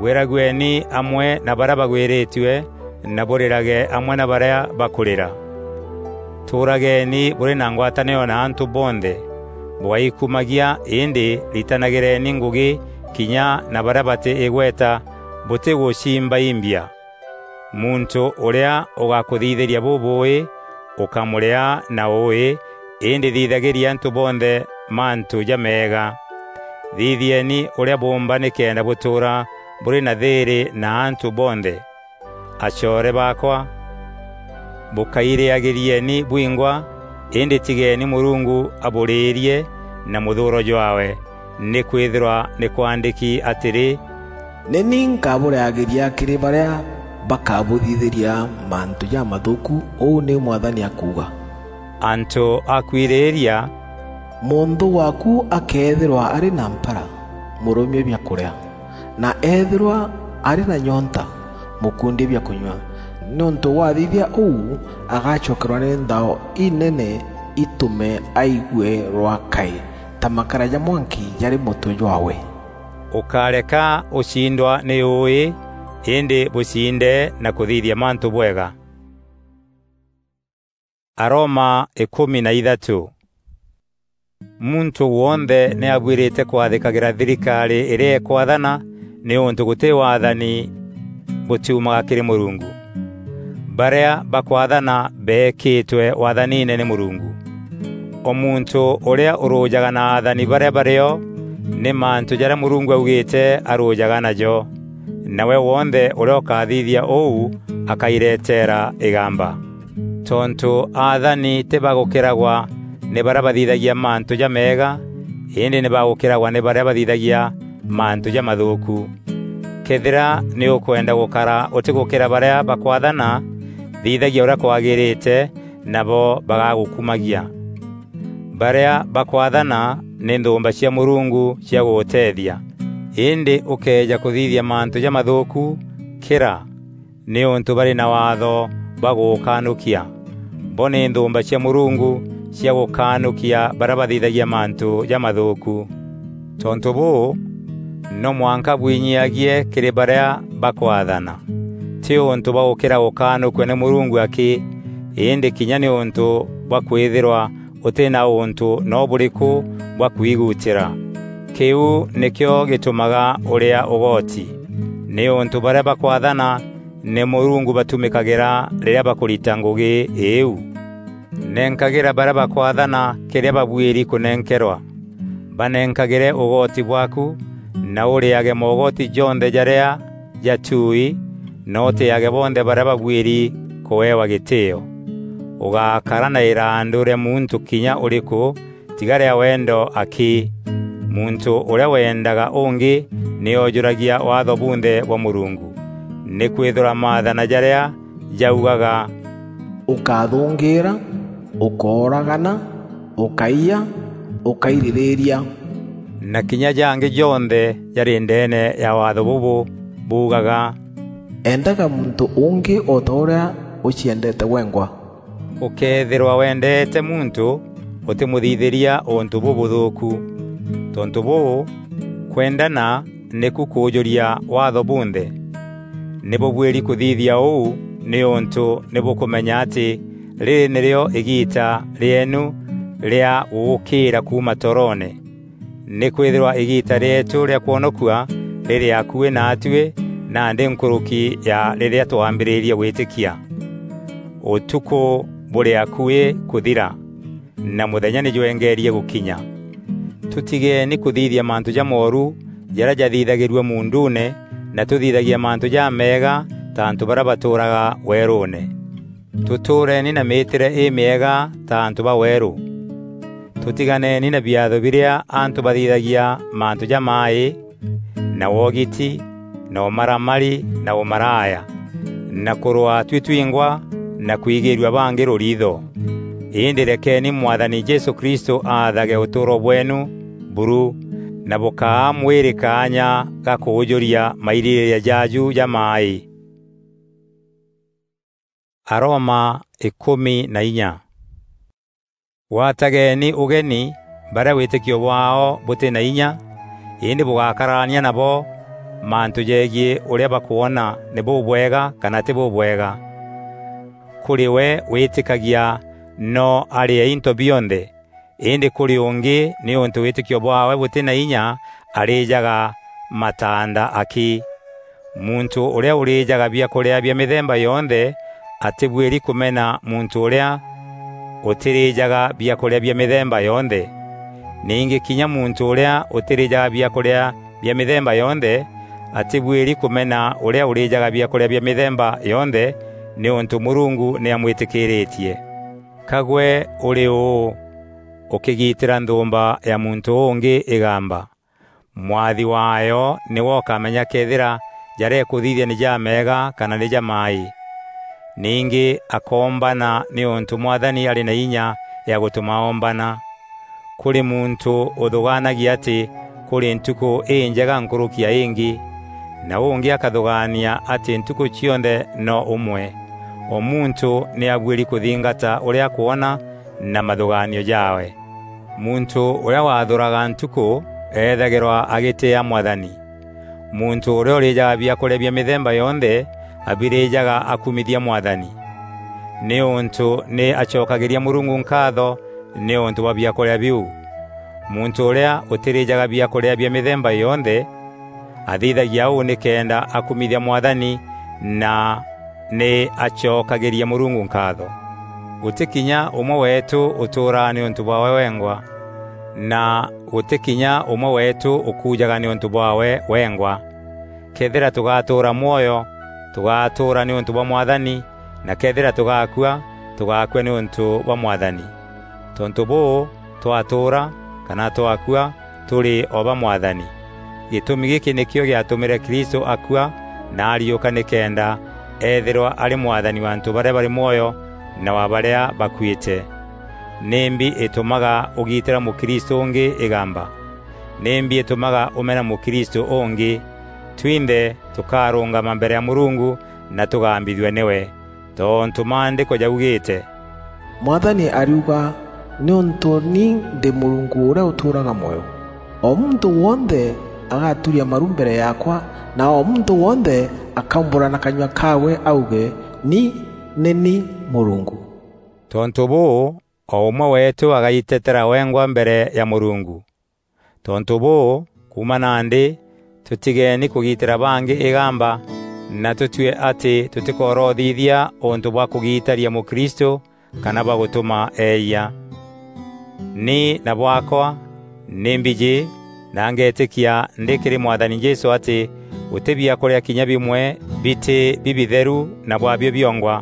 Gwîragueni amwe na barîa bagwîrîtue na bûrîrage amwe na barîa bakûrîra. Tûûrageni bûrî na ngwatanîro na antû bonthe. Bûgaikumagia, îndî ritanagîreni ngûgî kinya na barîa batî îgweta bûtîgûcimbaimbia. Muntû ûrîa ûgakûthithîria bûbûûî, ûkamûrîa na ûûî, îndî thithagîria antû bonthe mantû jameega. Thithieni ûrîa bûûmba nîkenda bûtûûra bûrî na thîîrî na antû bonthe. Acoore baakwa, bûkairîagîrieni bwingwa, îndî tigeni Mûrungu abûrîîrie na mûthûûro jwaawe. Nîkwîthîrwa nî kwaandîki atîrî, "Nî ni nkabûrîagîria kîrî barîa bakabûthithîria mantû jamathûûku, ûu nîu Mwathani akuuga." Antû a kwirîîria, "Mûnthû waaku akeethîrwa arî na mpara, mûrûmie biakûrîa, na eethîrwa arî na nyonta, mûkundie biakûnyua. Nîûntû wathithia ûu, agacokerwa nî nthao inene itûme aigue rwakai, ta makara ja mwanki jarî mûtwe jwaawe." Ûkáreka ûcindwa nî ûûî, îndî bûcinde na kûthithia mantû bwega. Aroma îkûmi na ithatû. Muntû wonthe nî abuîrîte kwathîkagîra thirikarî îrîa îkwathana, nîûntû gûtî waathani bûtiumaga kîrî Mûrungu. Barîa bakwathana beekîtwe waathaniine nî Mûrungu. O muntû ûrîa ûrûjaga na athani barîa barîo, nî mantû jarîa Mûrungu augîîte arûjaga najo. Nawe wonthe ûrîa ûkathithia ûu akaireteera îgamba. Tontû athani tî bagûkîragwa nî barîa bathithagia mantû jameega, îndî nî bagûkîragwa nî barîa bathithagia mantû jamathûûku. Këethîra nî ûkwenda gûkara ûtîgûkîra barîa bakwathana, thithagia ûrîa kwagîrîte, nabo bagagûkumagia. Barîa bakwathana nî nthûûmba cia Mûrungu cia gûgûteethia. Îndî ûkëeja kûthithia mantû jamathûûku, kîra, nîûntû barî na waatho bwa gûgûkanûkia. Bo nî nthûûmba cia Mûrungu cia gûkanûkia barîa bathithagia mantû jamathûûku. Tontû bûû, no mwanka bwinyiagie kîrî barîa bakwathana, tî ûntû bwa gûkîra gûkanûkua nî Mûrungu akî, îndî kinya nîûntû bwa kwîthîrwa ûtî na ûntû no bûrîkû bwa kwigutîra. Kîu nîkîo gîtûmaga ûrîa ûgoti, nîûntû barîa bakwathana nî Mûrungu batumîkagîra rîrîa bakûrita ngûgî îîu. Nenkagîra barîa bakwathana kîrîa babuîri kûnenkerwa. Banenkagîre ûgoti bwaaku, na ûrîage mogoti jonthe jarîa jatuui, na ûtîîage bonthe barîa babuîri kûewa gîtîîo. Ûgakara na îrandû rîa muntû kinya ûrîkû, tiga rîa wendo akî. Muntû ûrîa wendaga ûngî nî oojûragia waatho bunthe bwa Mûrungu, nîkwîthîrwa maathana jarîa jaugaga, "Ûkathûngîîra, ûkooragana, ûkaiya, ûkairirîîria," na kinya jangî jonthe jarî ndeene ya waatho bûbû buugaga, "Endaga muntû ûngî o ta ûrîa ûciendeete wengwa." Ûkëethîrwa wendeete muntû, ûtîmûthithîria ûntû bûbûthûûku. Tontû bûû, kwendana nîku kûûjûria waatho bunthe. Nî bûbuîri kûthithia ûu nîûntû nî bûkûmenya atî rîrî nîrîo îgiita rîeenu rîa gûgûkîîra kuuma toroone. Nîkwîthîrwa îgiita rîeetû rîa kwonokua rîrî akuî naatuî, nandî nkûrûki ya rîrîa twambîrîrie gwîtîkia. Ûtukû bûrî akuî kûthira, na mûthenya nî jwengeerie gûkinya. Tûtigeeni kûthithia mantû jamooru jarîa jathithagîrua muunduune, na tûthithagia mantû jameega ta antû barîa batûûraga weerûûne. Tûtûûreeni na mîîtîre îmîega ta antû ba weerû. Tûtiganeeni na biatho birîa antû bathithagia mantû jamaaî, na wogiti, na ûmaramari, na ûmaraya, na kûrwaa tuî twingwa, na kwigîîrua bangî rûriitho. Îndî rekeeni Mwathani Jesû Kristû aathage ûtûûro bweenu buru, na bûkaa mwîrî kaanya ga kûûjûria mairîrîîria jaaju jamaaî. Aroma îkûmi na inya. Gwatageeni ûgeni barîa wîtîkio bwaao bûtî na inya, îndî bûgakararania nabo mantû jegiî ûrîa bakwona nî bûbwega kana tî bûbwega. Kûrî we wîtîkagia no arîe into bionthe, îndî kûrî ûngî, nîûntû wîtîkio bwaawe bûtî na inya, arîjaga mataanda akî. Muntû ûrîa ûrîjaga biakûrîa bia mîthemba yonthe atîbuîri kûmena muntû ûrîa ûtîrîjaga biakûrîa bia mîthemba yonthe. Ningî kinya muntû ûrîa ûtîrîjaga biakûrîa bia mîthemba yonthe atîbuîri kûmena ûrîa ûrîjaga biakûrîa bia mîthemba yonthe, nîûntû Mûrungu nî amwîtîkîrîtie. Ka gwe ûrî ûû, ûkîgitîra nthûûmba ya muntû ûngî îgamba? Mwathi waayo nîwe ûkamenya këethîra jarîa îkûthithia nî jameega kana nî jamaaî. Ningî akoombana nîûntû Mwathani arî na inya ya gûtûma oombana. Kûrî muntû ûthûgaanagia atî kûrî ntukû înjega nkûrûki ya îngî, na ûngî akathûgaania atî ntukû cionthe no ûmwe. O muntû nî abuîri kûthingata ûrîa akwona na mathûgaanio jaawe. Muntû ûrîa wathûraga ntukû eethagîrwa agîtîîa Mwathani. Muntû ûrîa ûrîjaga biakûrîa bia mîthemba yonthe abirîjaga akumithia Mwathani, nîûntû nî acokagîria Mûrungu nkaatho nîûntû bwa biakûrîa biu. Muntû ûrîa ûtîrîjaga biakûrîa bia mîthemba yonthe athithagia ûu nîkenda akumithia Mwathani na nî acokagîria Mûrungu nkaatho. Gûtî kinya ûmwe weetû ûtûûraa nîûntû bwaawe wengwa, na gûtî kinya ûmwe weetû ûkujaga nîûntû bwaawe wengwa. Këethîra tûgatûûra mwoyo, tûgatûûra nîûntû bwa Mwathani, na këethîra tûgakua, tûgakua nîûntû bwa Mwathani. Tontû bûû, twatûûra kana twakua, tûrî o ba Mwathani. Gîtûmi gîkî nîkîo gîatûmîre Kristû akua na ariûka nîkenda eethîrwa arî Mwathani wa antû barîa barî mwoyo na wa barîa bakuîte. Nîmbi îtûmaga ûgitîra mûkristû ûngî îgamba? Nîmbi îtûmaga ûmena mûkristû ûngî? Twinthe tûkarûngama mbere ya Mûrungu na tûgambithua nîwe. Tontû Maandîko jaugîîte, "Mwathani ariuga, nîûntû ni ndî Mûrungu ûrîa ûtûûraga mwoyo. O muntû wonthe agaturia maru mbere yaakwa, na o muntû wonthe akaumbûra na kanyua kaawe auge, 'Ni nî ni Mûrungu.'" Tontû bûû, o ûmwe weetû agaitetera wengwa mbere ya Mûrungu. Tontû bûû, kuuma nandî, tûtigeeni kûgitîra bangî îgamba, na tûtue atî tûtîkorothithia ûntû bwa kûgitaria mûkristû kana bwa gûtûma eeyia. Ni na bwaakwa nî mbijî na ngeetîkia ndî kîrî Mwathani Jesû atî gûtî biakûrîa kinya bimwe bitî bibitheru na bwabio biongwa.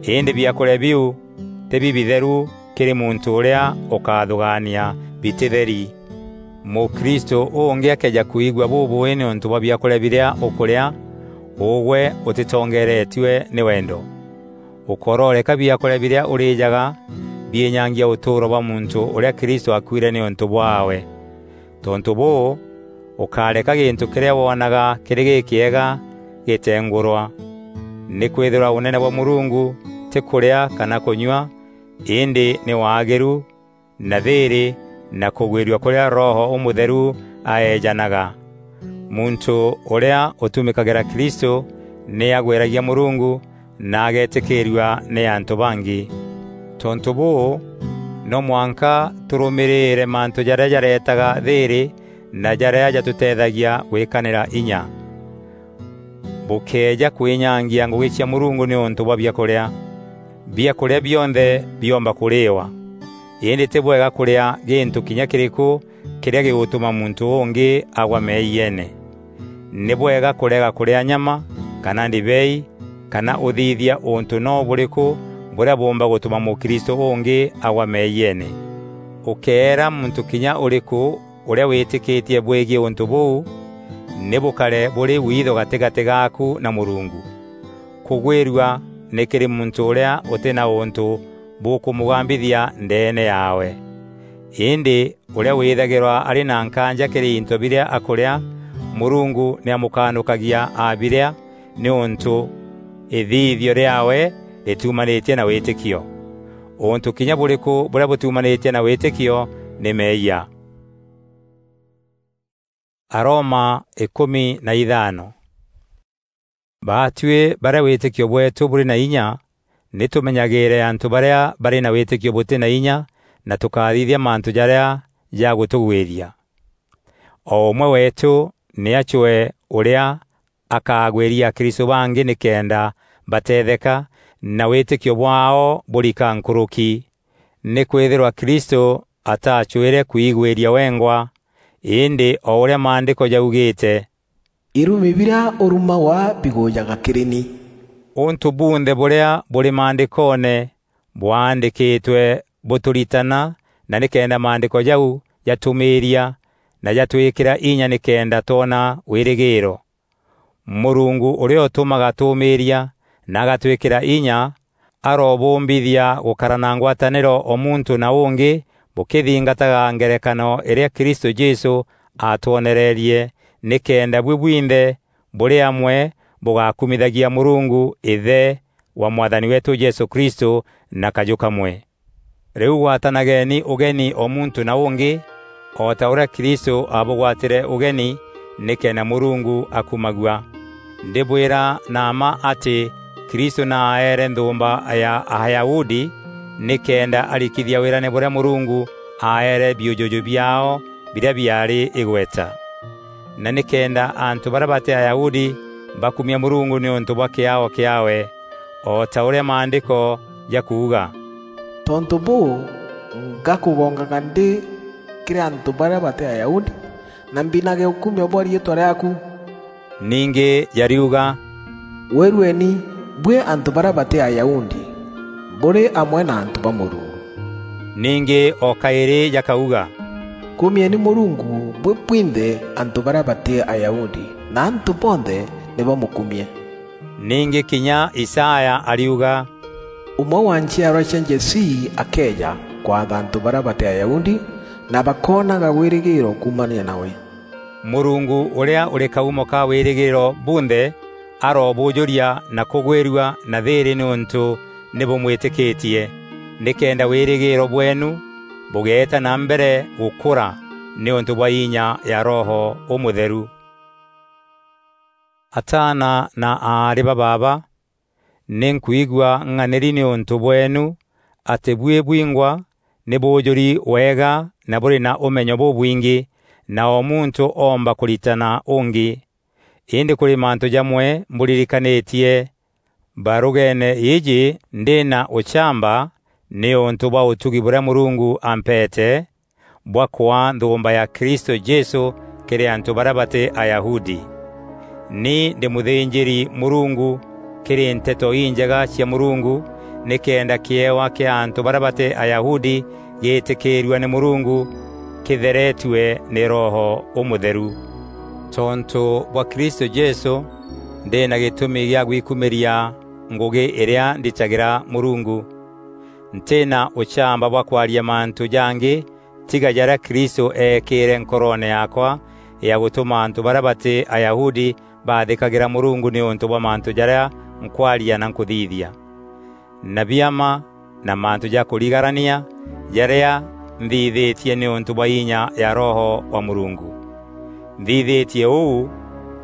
Îndî biakûrîa biu tî bibitheru kîrî muntû ûrîa ûkathûgaania bitîtheri. Mûkristû ûngî akëeja kwigua bûbûî nîûntû bwa biakûrîa birîa ûkûrîa, ûgwe ûtîtongeeretue nî wendo. Ûkororeka biakûrîa birîa ûrîjaga biînyangia ûtûûro bwa muntû ûrîa Kristû aakuîre nîûntû bwaawe. Tontû bûû, ûkareka gîntû kîrîa woonaga kîrî gîkîega gîtengûrwa. Nîkwîthîrwa ûnene bwa Mûrungu tî kûrîa kana kûnyua, îndî nî waagîru, na thîîrî, na kûgwîrua kûrîa Roho Ûmûtheru aeejanaga. Muntû ûrîa ûtumîkagîra Kristû nî agwîragia Mûrungu, na ageetîkîîrua nî antû bangi. Tontû bûû, no mwanka tûrûmîrîîre mantû jarîa jareetaga thîîrî na jarîa jatûteethagia gwîkanîra inya. Bûkëeja kwînyangia ngûgî cia Mûrungu nîûntû bwa biakûrîa. Biakûrîa bionthe biomba kûrîîwa, îndî tî bwega kûrîa gîntû kinya kîrîkû kîrîa gîgûtûma muntû ûngî agwa meeyiene. Nî bwega kûrega kûrîa nyama, kana ndibei, kana ûthithia ûntû no bûrîkû bûrîa bûûmba gûtûma mûkristû ûngî agwa meeyiene. Ûkeera muntû kinya ûrîkû ûrîa wîtîkîtie bwîgiî ûntû bûu, nî bûkare bûrî witho gatîgatî gaaku na Mûrungu. Kûgwîrua nî kîrî muntû ûrîa ûtî na ûntû bûkûmûgambithia ndeene yaawe. Îndî ûrîa wîthagîrwa arî na nkaanja kîrî into birîa akûrîa, Mûrungu nî amûkanûkagia abirîa, nîûntû îthithio rîaawe rîtumanîtie na wîtîkio. Ûntû kinya bûrîkû bûrîa bûtumanîtie na wîtîkio nî meeyia. Aroma îkûmi na ithano. Baatuî barîa wîtîkio bweetû bûrî na inya, nî tûmenyagîîre antû barîa barî na wîtîkio bûtî na inya, na tûkathithia mantû jarîa jagûtûgwîria. O ûmwe weetû nî acwee ûrîa akagwîria akristû bangî nîkenda bateetheka na wîtîkio bwaao bûrika nkûrûki. Nîkwîthîrwa Kristû atacwîre kwigwîria wengwa, îndî o ûrîa Maandîko jaugîîte, "Irumi birîa ûrumagwa bigûjaga kîrî ni." Ûntû bunthe bûrîa bûrî Maandîkoone bwaandîkîtwe bûtûritana, na nîkenda Maandîko jau jatûmîîria na jatwîkîra inya nîkenda twona wîrîgîîro. Mûrungu ûrîa ûtûmaga tûûmîîria na agatwîkîra inya, arobûmbithia gûkara na ngwatanîro o muntû na ûngî bûkîthingataga ngerekano îrîa Kristû Jesû aatwonereerie, nîkenda buî bwinthe bûrî amwe bûgakumithagia Mûrungu Îthe wa Mwathani weetû Jesû Kristû na kajû kamwe. Rîu gwatanageni ûgeni o muntû na ûngî, o ta ûrîa Kristû aabûgwatîre ûgeni, nîkenda Mûrungu akumagua. Ndîbwîra na mma atî Kristû naaeere nthûûmba ya Ayahudi nîkenda arikithia wîrane bûrîa Mûrungu aaeere biûjûjû biaao birîa biaarî îgweta. Na nîkenda antû barîa batî Ayahudi bakumie Mûrungu nîûntû bwa kîaao kîaawe, o ta ûrîa Maandîko jakuuga, "Tontû bûû, ngakûgongaga ndî kîrî antû barîa batî Ayahudi, na mbinage ûkumio bwa riîtwa rîaaku." Ningî jariuga, "Wîrueni, buî antû barîa batî Ayahudi, bûrî amwe na antû ba Mûrungu." Ningî o kaîrî jakauga, "Kumieni Mûrungu, buî bwinthe antû barîa batî Ayahudi, na antû bonthe nî bamûkumie." Ningî kinya Isaya ariuga, "Ûmwe wa nchiarwa cia Jesii akeeja kwatha antû barîa batî Ayahudi, na bakoonaga wîrîgîîro kuumania nawe." Mûrungu ûrîa ûrî kaumo ka wîrîgîîro bunthe arobûûjûria na kûgwîrua na thîîrî nîûntû nî bûmwîtîkîtie, nîkenda wîrîgîîro bweenu bûgeeta na mbere gûkûra nîûntû bwa inya ya Roho Ûmûtheru. Ataana na aarî ba baaba, nî nkwigua ng'anîri nîûntû bweenu, atî buî bwingwa nî bûûjûri wega na bûrî na ûmenyo bûbwingî, na o muntû oomba kûritana ûngî. Îndî kûrî mantû jamwe mbûririkanîtie barûgeene îîjî ndî na ûchamba nîûntû bwa ûtugi bûrîa Mûrungu ampeete, bwa kwaa nthûûmba ya Kristû Jesû kîrî antû barîa batî Ayahudi. Ni ndî mûthînjîri-Mûrungu kîrî Nteto Injega cia Mûrungu, nîkenda kîewa kîa antû barîa batî Ayahudi gîîtîkîîrua nî Mûrungu, kîtheretue nî Roho Ûmûtheru. Tontû bwa Kristû Jesû, ndî na gîtûmi gîa gwikumîria ngûgî îrîa nditagîra Mûrungu. Ntî na ûchamba bwa kwaria mantû jangî tiga jarîa Kristû eekîîre nkoroone yaakwa ya gûtûma antû barîa batî Ayahudi baathîkagîra Mûrungu nîûntû bwa mantû jarîa nkwaria na nkûthithia, na biama na mantû ja kûrigarania jarîa nthithîtie nîûntû bwa inya ya Roho wa Mûrungu. Nthithîtie ûu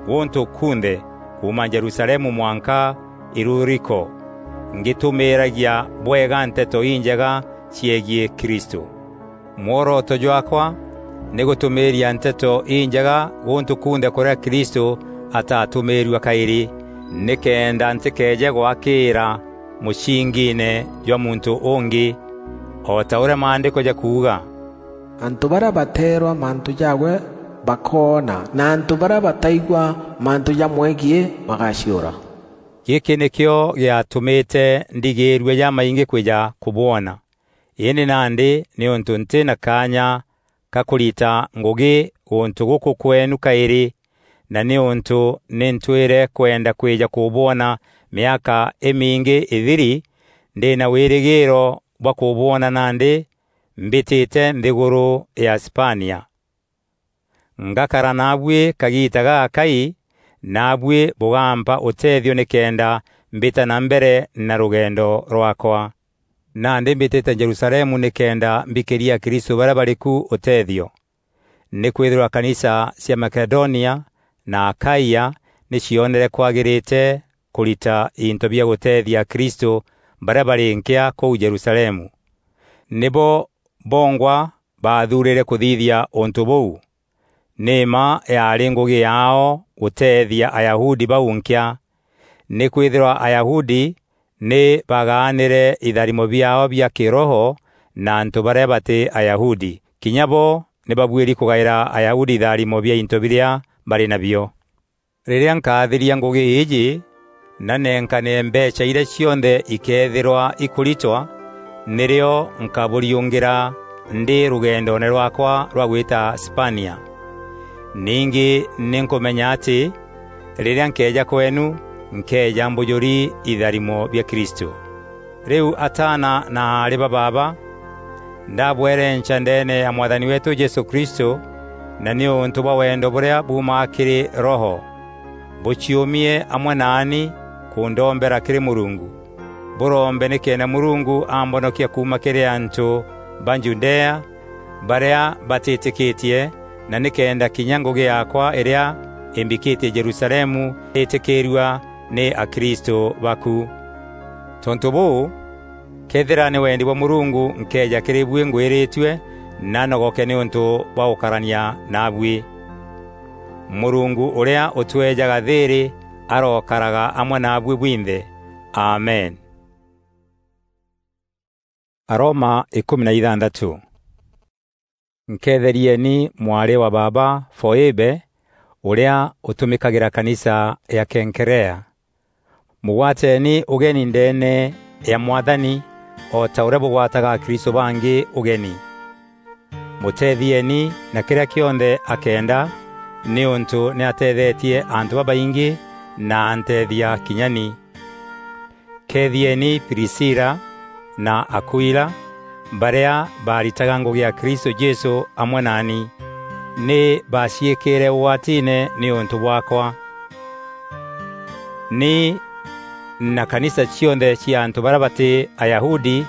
gûntû kunthe, kuuma Jerusalemu mwanka Iluriko. ngitumiiragia bwega Nteto Injega ciegiî Kristû. Mworoto jwaakwa nî gûtumiiria Nteto Injega gûntû kunthe kûrîa Kristû atatûmîîrua kaîrî, nîkenda ntîkeeje gwakîîra mûcingiine jwa muntû ûngî, o ta ûrîa Maandîko jakuuga, "Antû barîa bateerwa mantû jaawe bakoona, na antû barîa bataigua mantû jamwegiî bagaciûra." Gîkî nîkîo gîatûmîte ndigîîrua jamaingî kwîja kûbwona. Îndî nandî nîûntû ntî na kaanya ka kûrita ngûgî gûntû gûkû kweenu kaîrî, na nîûntû nî ntwîre kwenda kwîja kûbwona mîaka îmingî îthiri, ndî na wîrîgîîro bwa kûbwona nandî mbîtîte nthîgûrû ya Spania. Ngakara naabuî kagiita gagakai, naabuî bûgampa ûteethio nîkenda mbîta na mbere na rûgendo rwaakwa. Nandî mbîtîte Jerusalemu nîkenda mbikîria Akristû barîa barî ku ûteethio. Nîkwîthîrwa kanisa cia Makedonia na Akaia nî cionere kwagîrîte kûrita into bia gûteethia Akristû barîa barî nkîa kûu Jerusalemu. Nîbo bongwa baathuurîre kûthithia ûntû bûu. Nî mma yaarî ngûgî yaao gûteethia Ayahudi bau nkîa, nîkwîthîrwa Ayahudi nî bagaanîre itharimo biaao bia kîroho na antû barîa batî Ayahudi. Kinya bo nî babuîri kûgaîra Ayahudi itharimo bia into birîa barî nabio. Rîrîa nkathithia ngûgî îîjî, na nenkane mbeecha irîa cionthe ikeethîrwa ikûritwa, nîrîo nkabûriûngîra ndî rûgendoone rwaakwa rwa gwîta Spania. Ningî nî nkûmenya atî rîrîa nkeeja kweenu, nkeeja mbûjûri itharimo bia Kristû. Rîu ataana na aarî ba baaba, ndabwerenca ndeene ya Mwathani weetû Jesû Kristû, na nîûntû bwa wendo bûrîa buumaga kîrî Roho, bûciûmie amwe naani kûndombera kîrî Mûrungu. Bûrombe nîkenda Mûrungu ambonokia kuuma kîrî antû ba Judea barîa batîtîkîtie, na nîkenda kinya ngûgî yaakwa îrîa îmbikîtie Jerusalemu îtîkîîrua nî Akristû baku. Tontû bûû, këethîra nî wendi bwa Mûrungu, nkeeja kîrî buî ngwîrîtue na nogoke nîûntû bwa gûkarania naabuî. Mûrungu ûrîa ûtweejaga thîîrî arokaraga amwe naabuî bwinthe. Amen. Aroma ikûmi na ithantatû. Nkeetherieni mwarî wa baaba Foîbe, ûrîa ûtûmîkagîra kanisa ya Kenkerea. Mûgwateeni ûgeni ndeene ya Mwathani, o ta ûrîa bûgwataga Akristû bangî ûgeni. Mûteethieeni na kîrîa kîonthe akenda, nîûntû nî ateethetie antû babaingî na anteethia kinya ni. Keethieni Prisila na Akuila, barîa baaritaga ngûgî ya Kristû Jesû amwe naani. Nî baaciîkîîre ûgwatiine nîûntû bwaakwa. Ni na kanisa cionthe cia antû barîa batî Ayahudi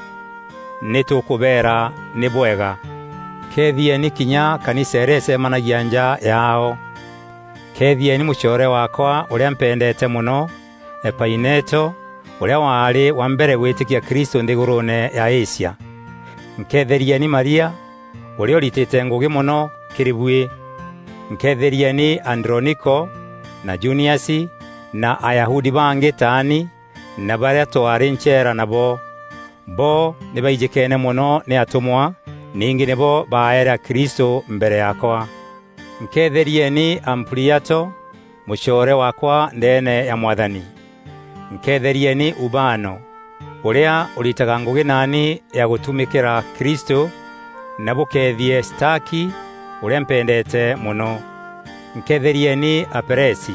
nî tûkûbeera nî bwega. Keethieni kinya kanisa îrîa îcemanagia nja yaao. Keethieni mûcoore waakwa ûrîa mpendeete mono, Epaineto, ûrîa waarî wa mbere gwîtîkia Kristû nthîgûrûûne ya Asia. Nkeetherieni Maria, ûrîa ûritîte ngûgî mono kîrî buî. Nkeetherieni Androniko na Juniasi na Ayahudi bangî taani na barîa twaarî ncheera nabo. Bo nî baijîkeene mono nî atûmwa, ningî nîbo baaere Akristû mbere yaakwa. Nkeetherieni Ampuliato, mûcoore waakwa ndeene ya Mwathani. Nkeetherieni Ubano, ûrîa ûritaga ngûgî naani ya gûtumîkîra Kristû, na bûkeethie Staki, ûrîa mpendeete mono. Nkeetherieni Aperesi,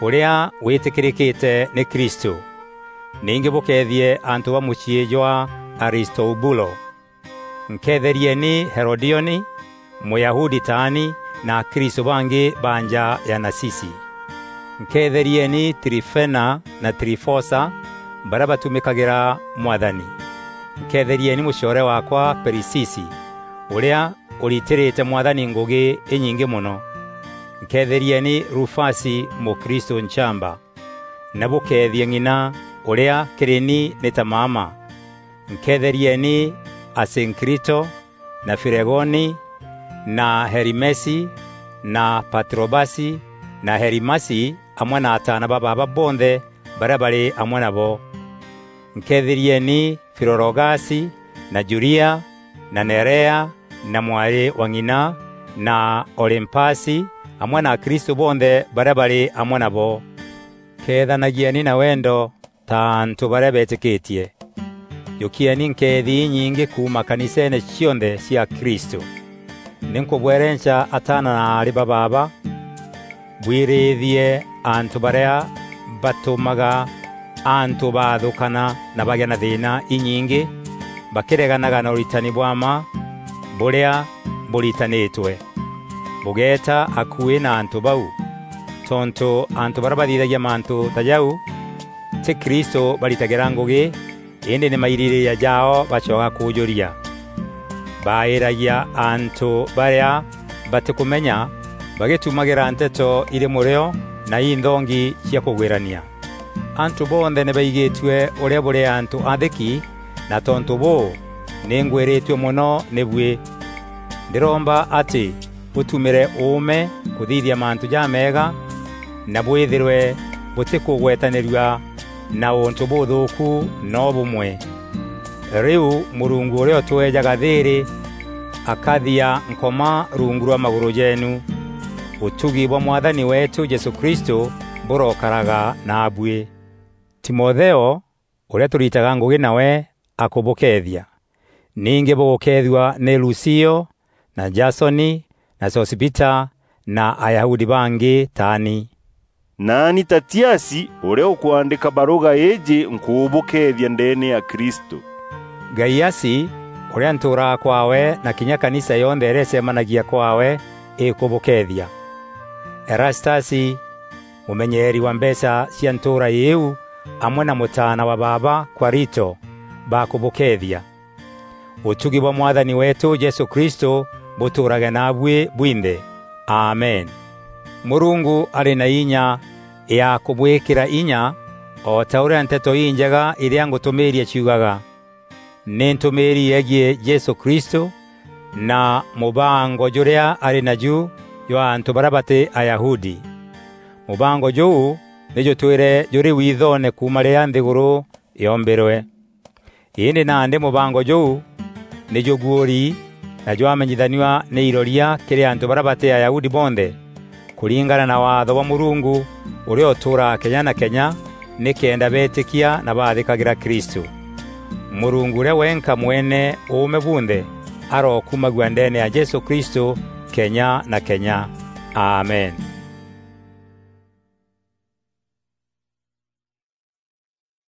ûrîa wîtîkîrîkîte nî Kristû. Ningî bûkeethie antû ba mûciî jwa Aristoubulo. Nkeetherieni Herodioni, Mûyahudi taani, na Akristû bangî ba nja ya Nasisi. Nkeetherieni Trifena na Trifosa, barîa batumîkagîra Mwathani. Nkeetherieni mûcoore waakwa Perisisi, ûrîa ûritîrîte Mwathani ngûgî înyingî mono. Nkeetherieni Rufasi, Mûkristû nchamba. Na bûkeethie ng'ina ûrîa kîrî ni nî ta mama. Nkeetherieni Asinkirito, na Filegoni, na Herimesi, na Patrobasi, na Herimasi, amwe na ataana ba baaba bonthe barîa barî amwe nabo. Nkeetherieni Filologasi, na Julia, na Nerea, na mwarî wa ng'ina, na Olimpasi, amwe na Akristû bonthe barîa barî amwe nabo. Keethanagieni na wendo ta antû barîa beetîkîtie. Jûkieni nkeethi inyingî kuuma kaniseene cionthe cia Kristû. Nî nkûbwerenca ataana na aarî ba baaba, bwirîîthie antû barîa batûmaga antû baathûkana na bagîa na thîîna inyingî, bakîreganaga na ûritani bwa mma bûrîa bûritanîtwe. Bûgeeta akuî na antû bau, tontû antû barîa bathithagia mantû ta jau, tî Kristû baritagîra ngûgî, îndî nî mairîrîîria jaao bacoga kûjûria. Baaîragia antû barîa batîkûmenya, bagîtumagîra nteto irî mûrîo na inthongi cia kûgwîrania. Antû bonthe nî baigîtue ûrîa bûrî antû athîki, na tontû bûû, nî ngwîrîtue mono nî buî. Ndîromba atî bûtumîre ûûme kûthithia mantû jameega, na bwîthîrwe bûtîkûgwetanîrua na ûntû bûthûûku no bûmwe. Rîu Mûrungu ûrîa ûtweejaga thîîrî akathia Nkoma rungu rwa magûrû jeenu. Ûtugi bwa Mwathani weetû Jesû Kristû bûrokaraga naabuî. Timotheo, ûrîa tûritaga ngûgî nawe, akûbûkeethia. Ningî bûgûkeethua nî Lusio, na Jasoni, na Sosipita, na Ayahudi bangî taani. Naani Tatiasi, ûrîa ûkwandîka barûga îîjî, nkûbûkeethia ndeene ya Kristû. Gaiasi, ûrîa ntûûraga kwaawe, na kinya kanisa yonthe îrîa îcemanagia kwaawe, îkûbûkeethia. Erastasi, mûmenyeeri wa mbeecha cia ntûûra îîu, amwe na mûtaana wa baaba Kwarito, bakûbûkeethia. Ûtugi bwa Mwathani weetû Jesû Kristû bûtûûrage naabuî bwinthe. Amen. Mûrungu arî na inya ya kûbwîkîra inya, o ta ûrîa Nteto Injega irîa ngûtûmîîria ciugaga. Nî ntûmîîri yegiî Jesû Kristû na mûbango jûrîa arî naju jwa antû barîa batî Ayahudi. Mûbango jûu nî jûtwîre jûrî withoone kuuma rîrîa nthîgûrû yoombîrwe. Îndî nandî mûbango jûu nî jûguûri na jwamenyithanua nî iroria kîrî antû barîa batî Ayahudi bonthe, kûringana na waatho bwa Mûrungu ûrîa ûtûûraga kenya na kenya, nîkenda beetîkia na baathîkagîra Kristû. Mûrungu ûrîa wenka mwene ûûme bunthe arokumagua ndeene ya Jesû Kristû kenya na kenya. Amen.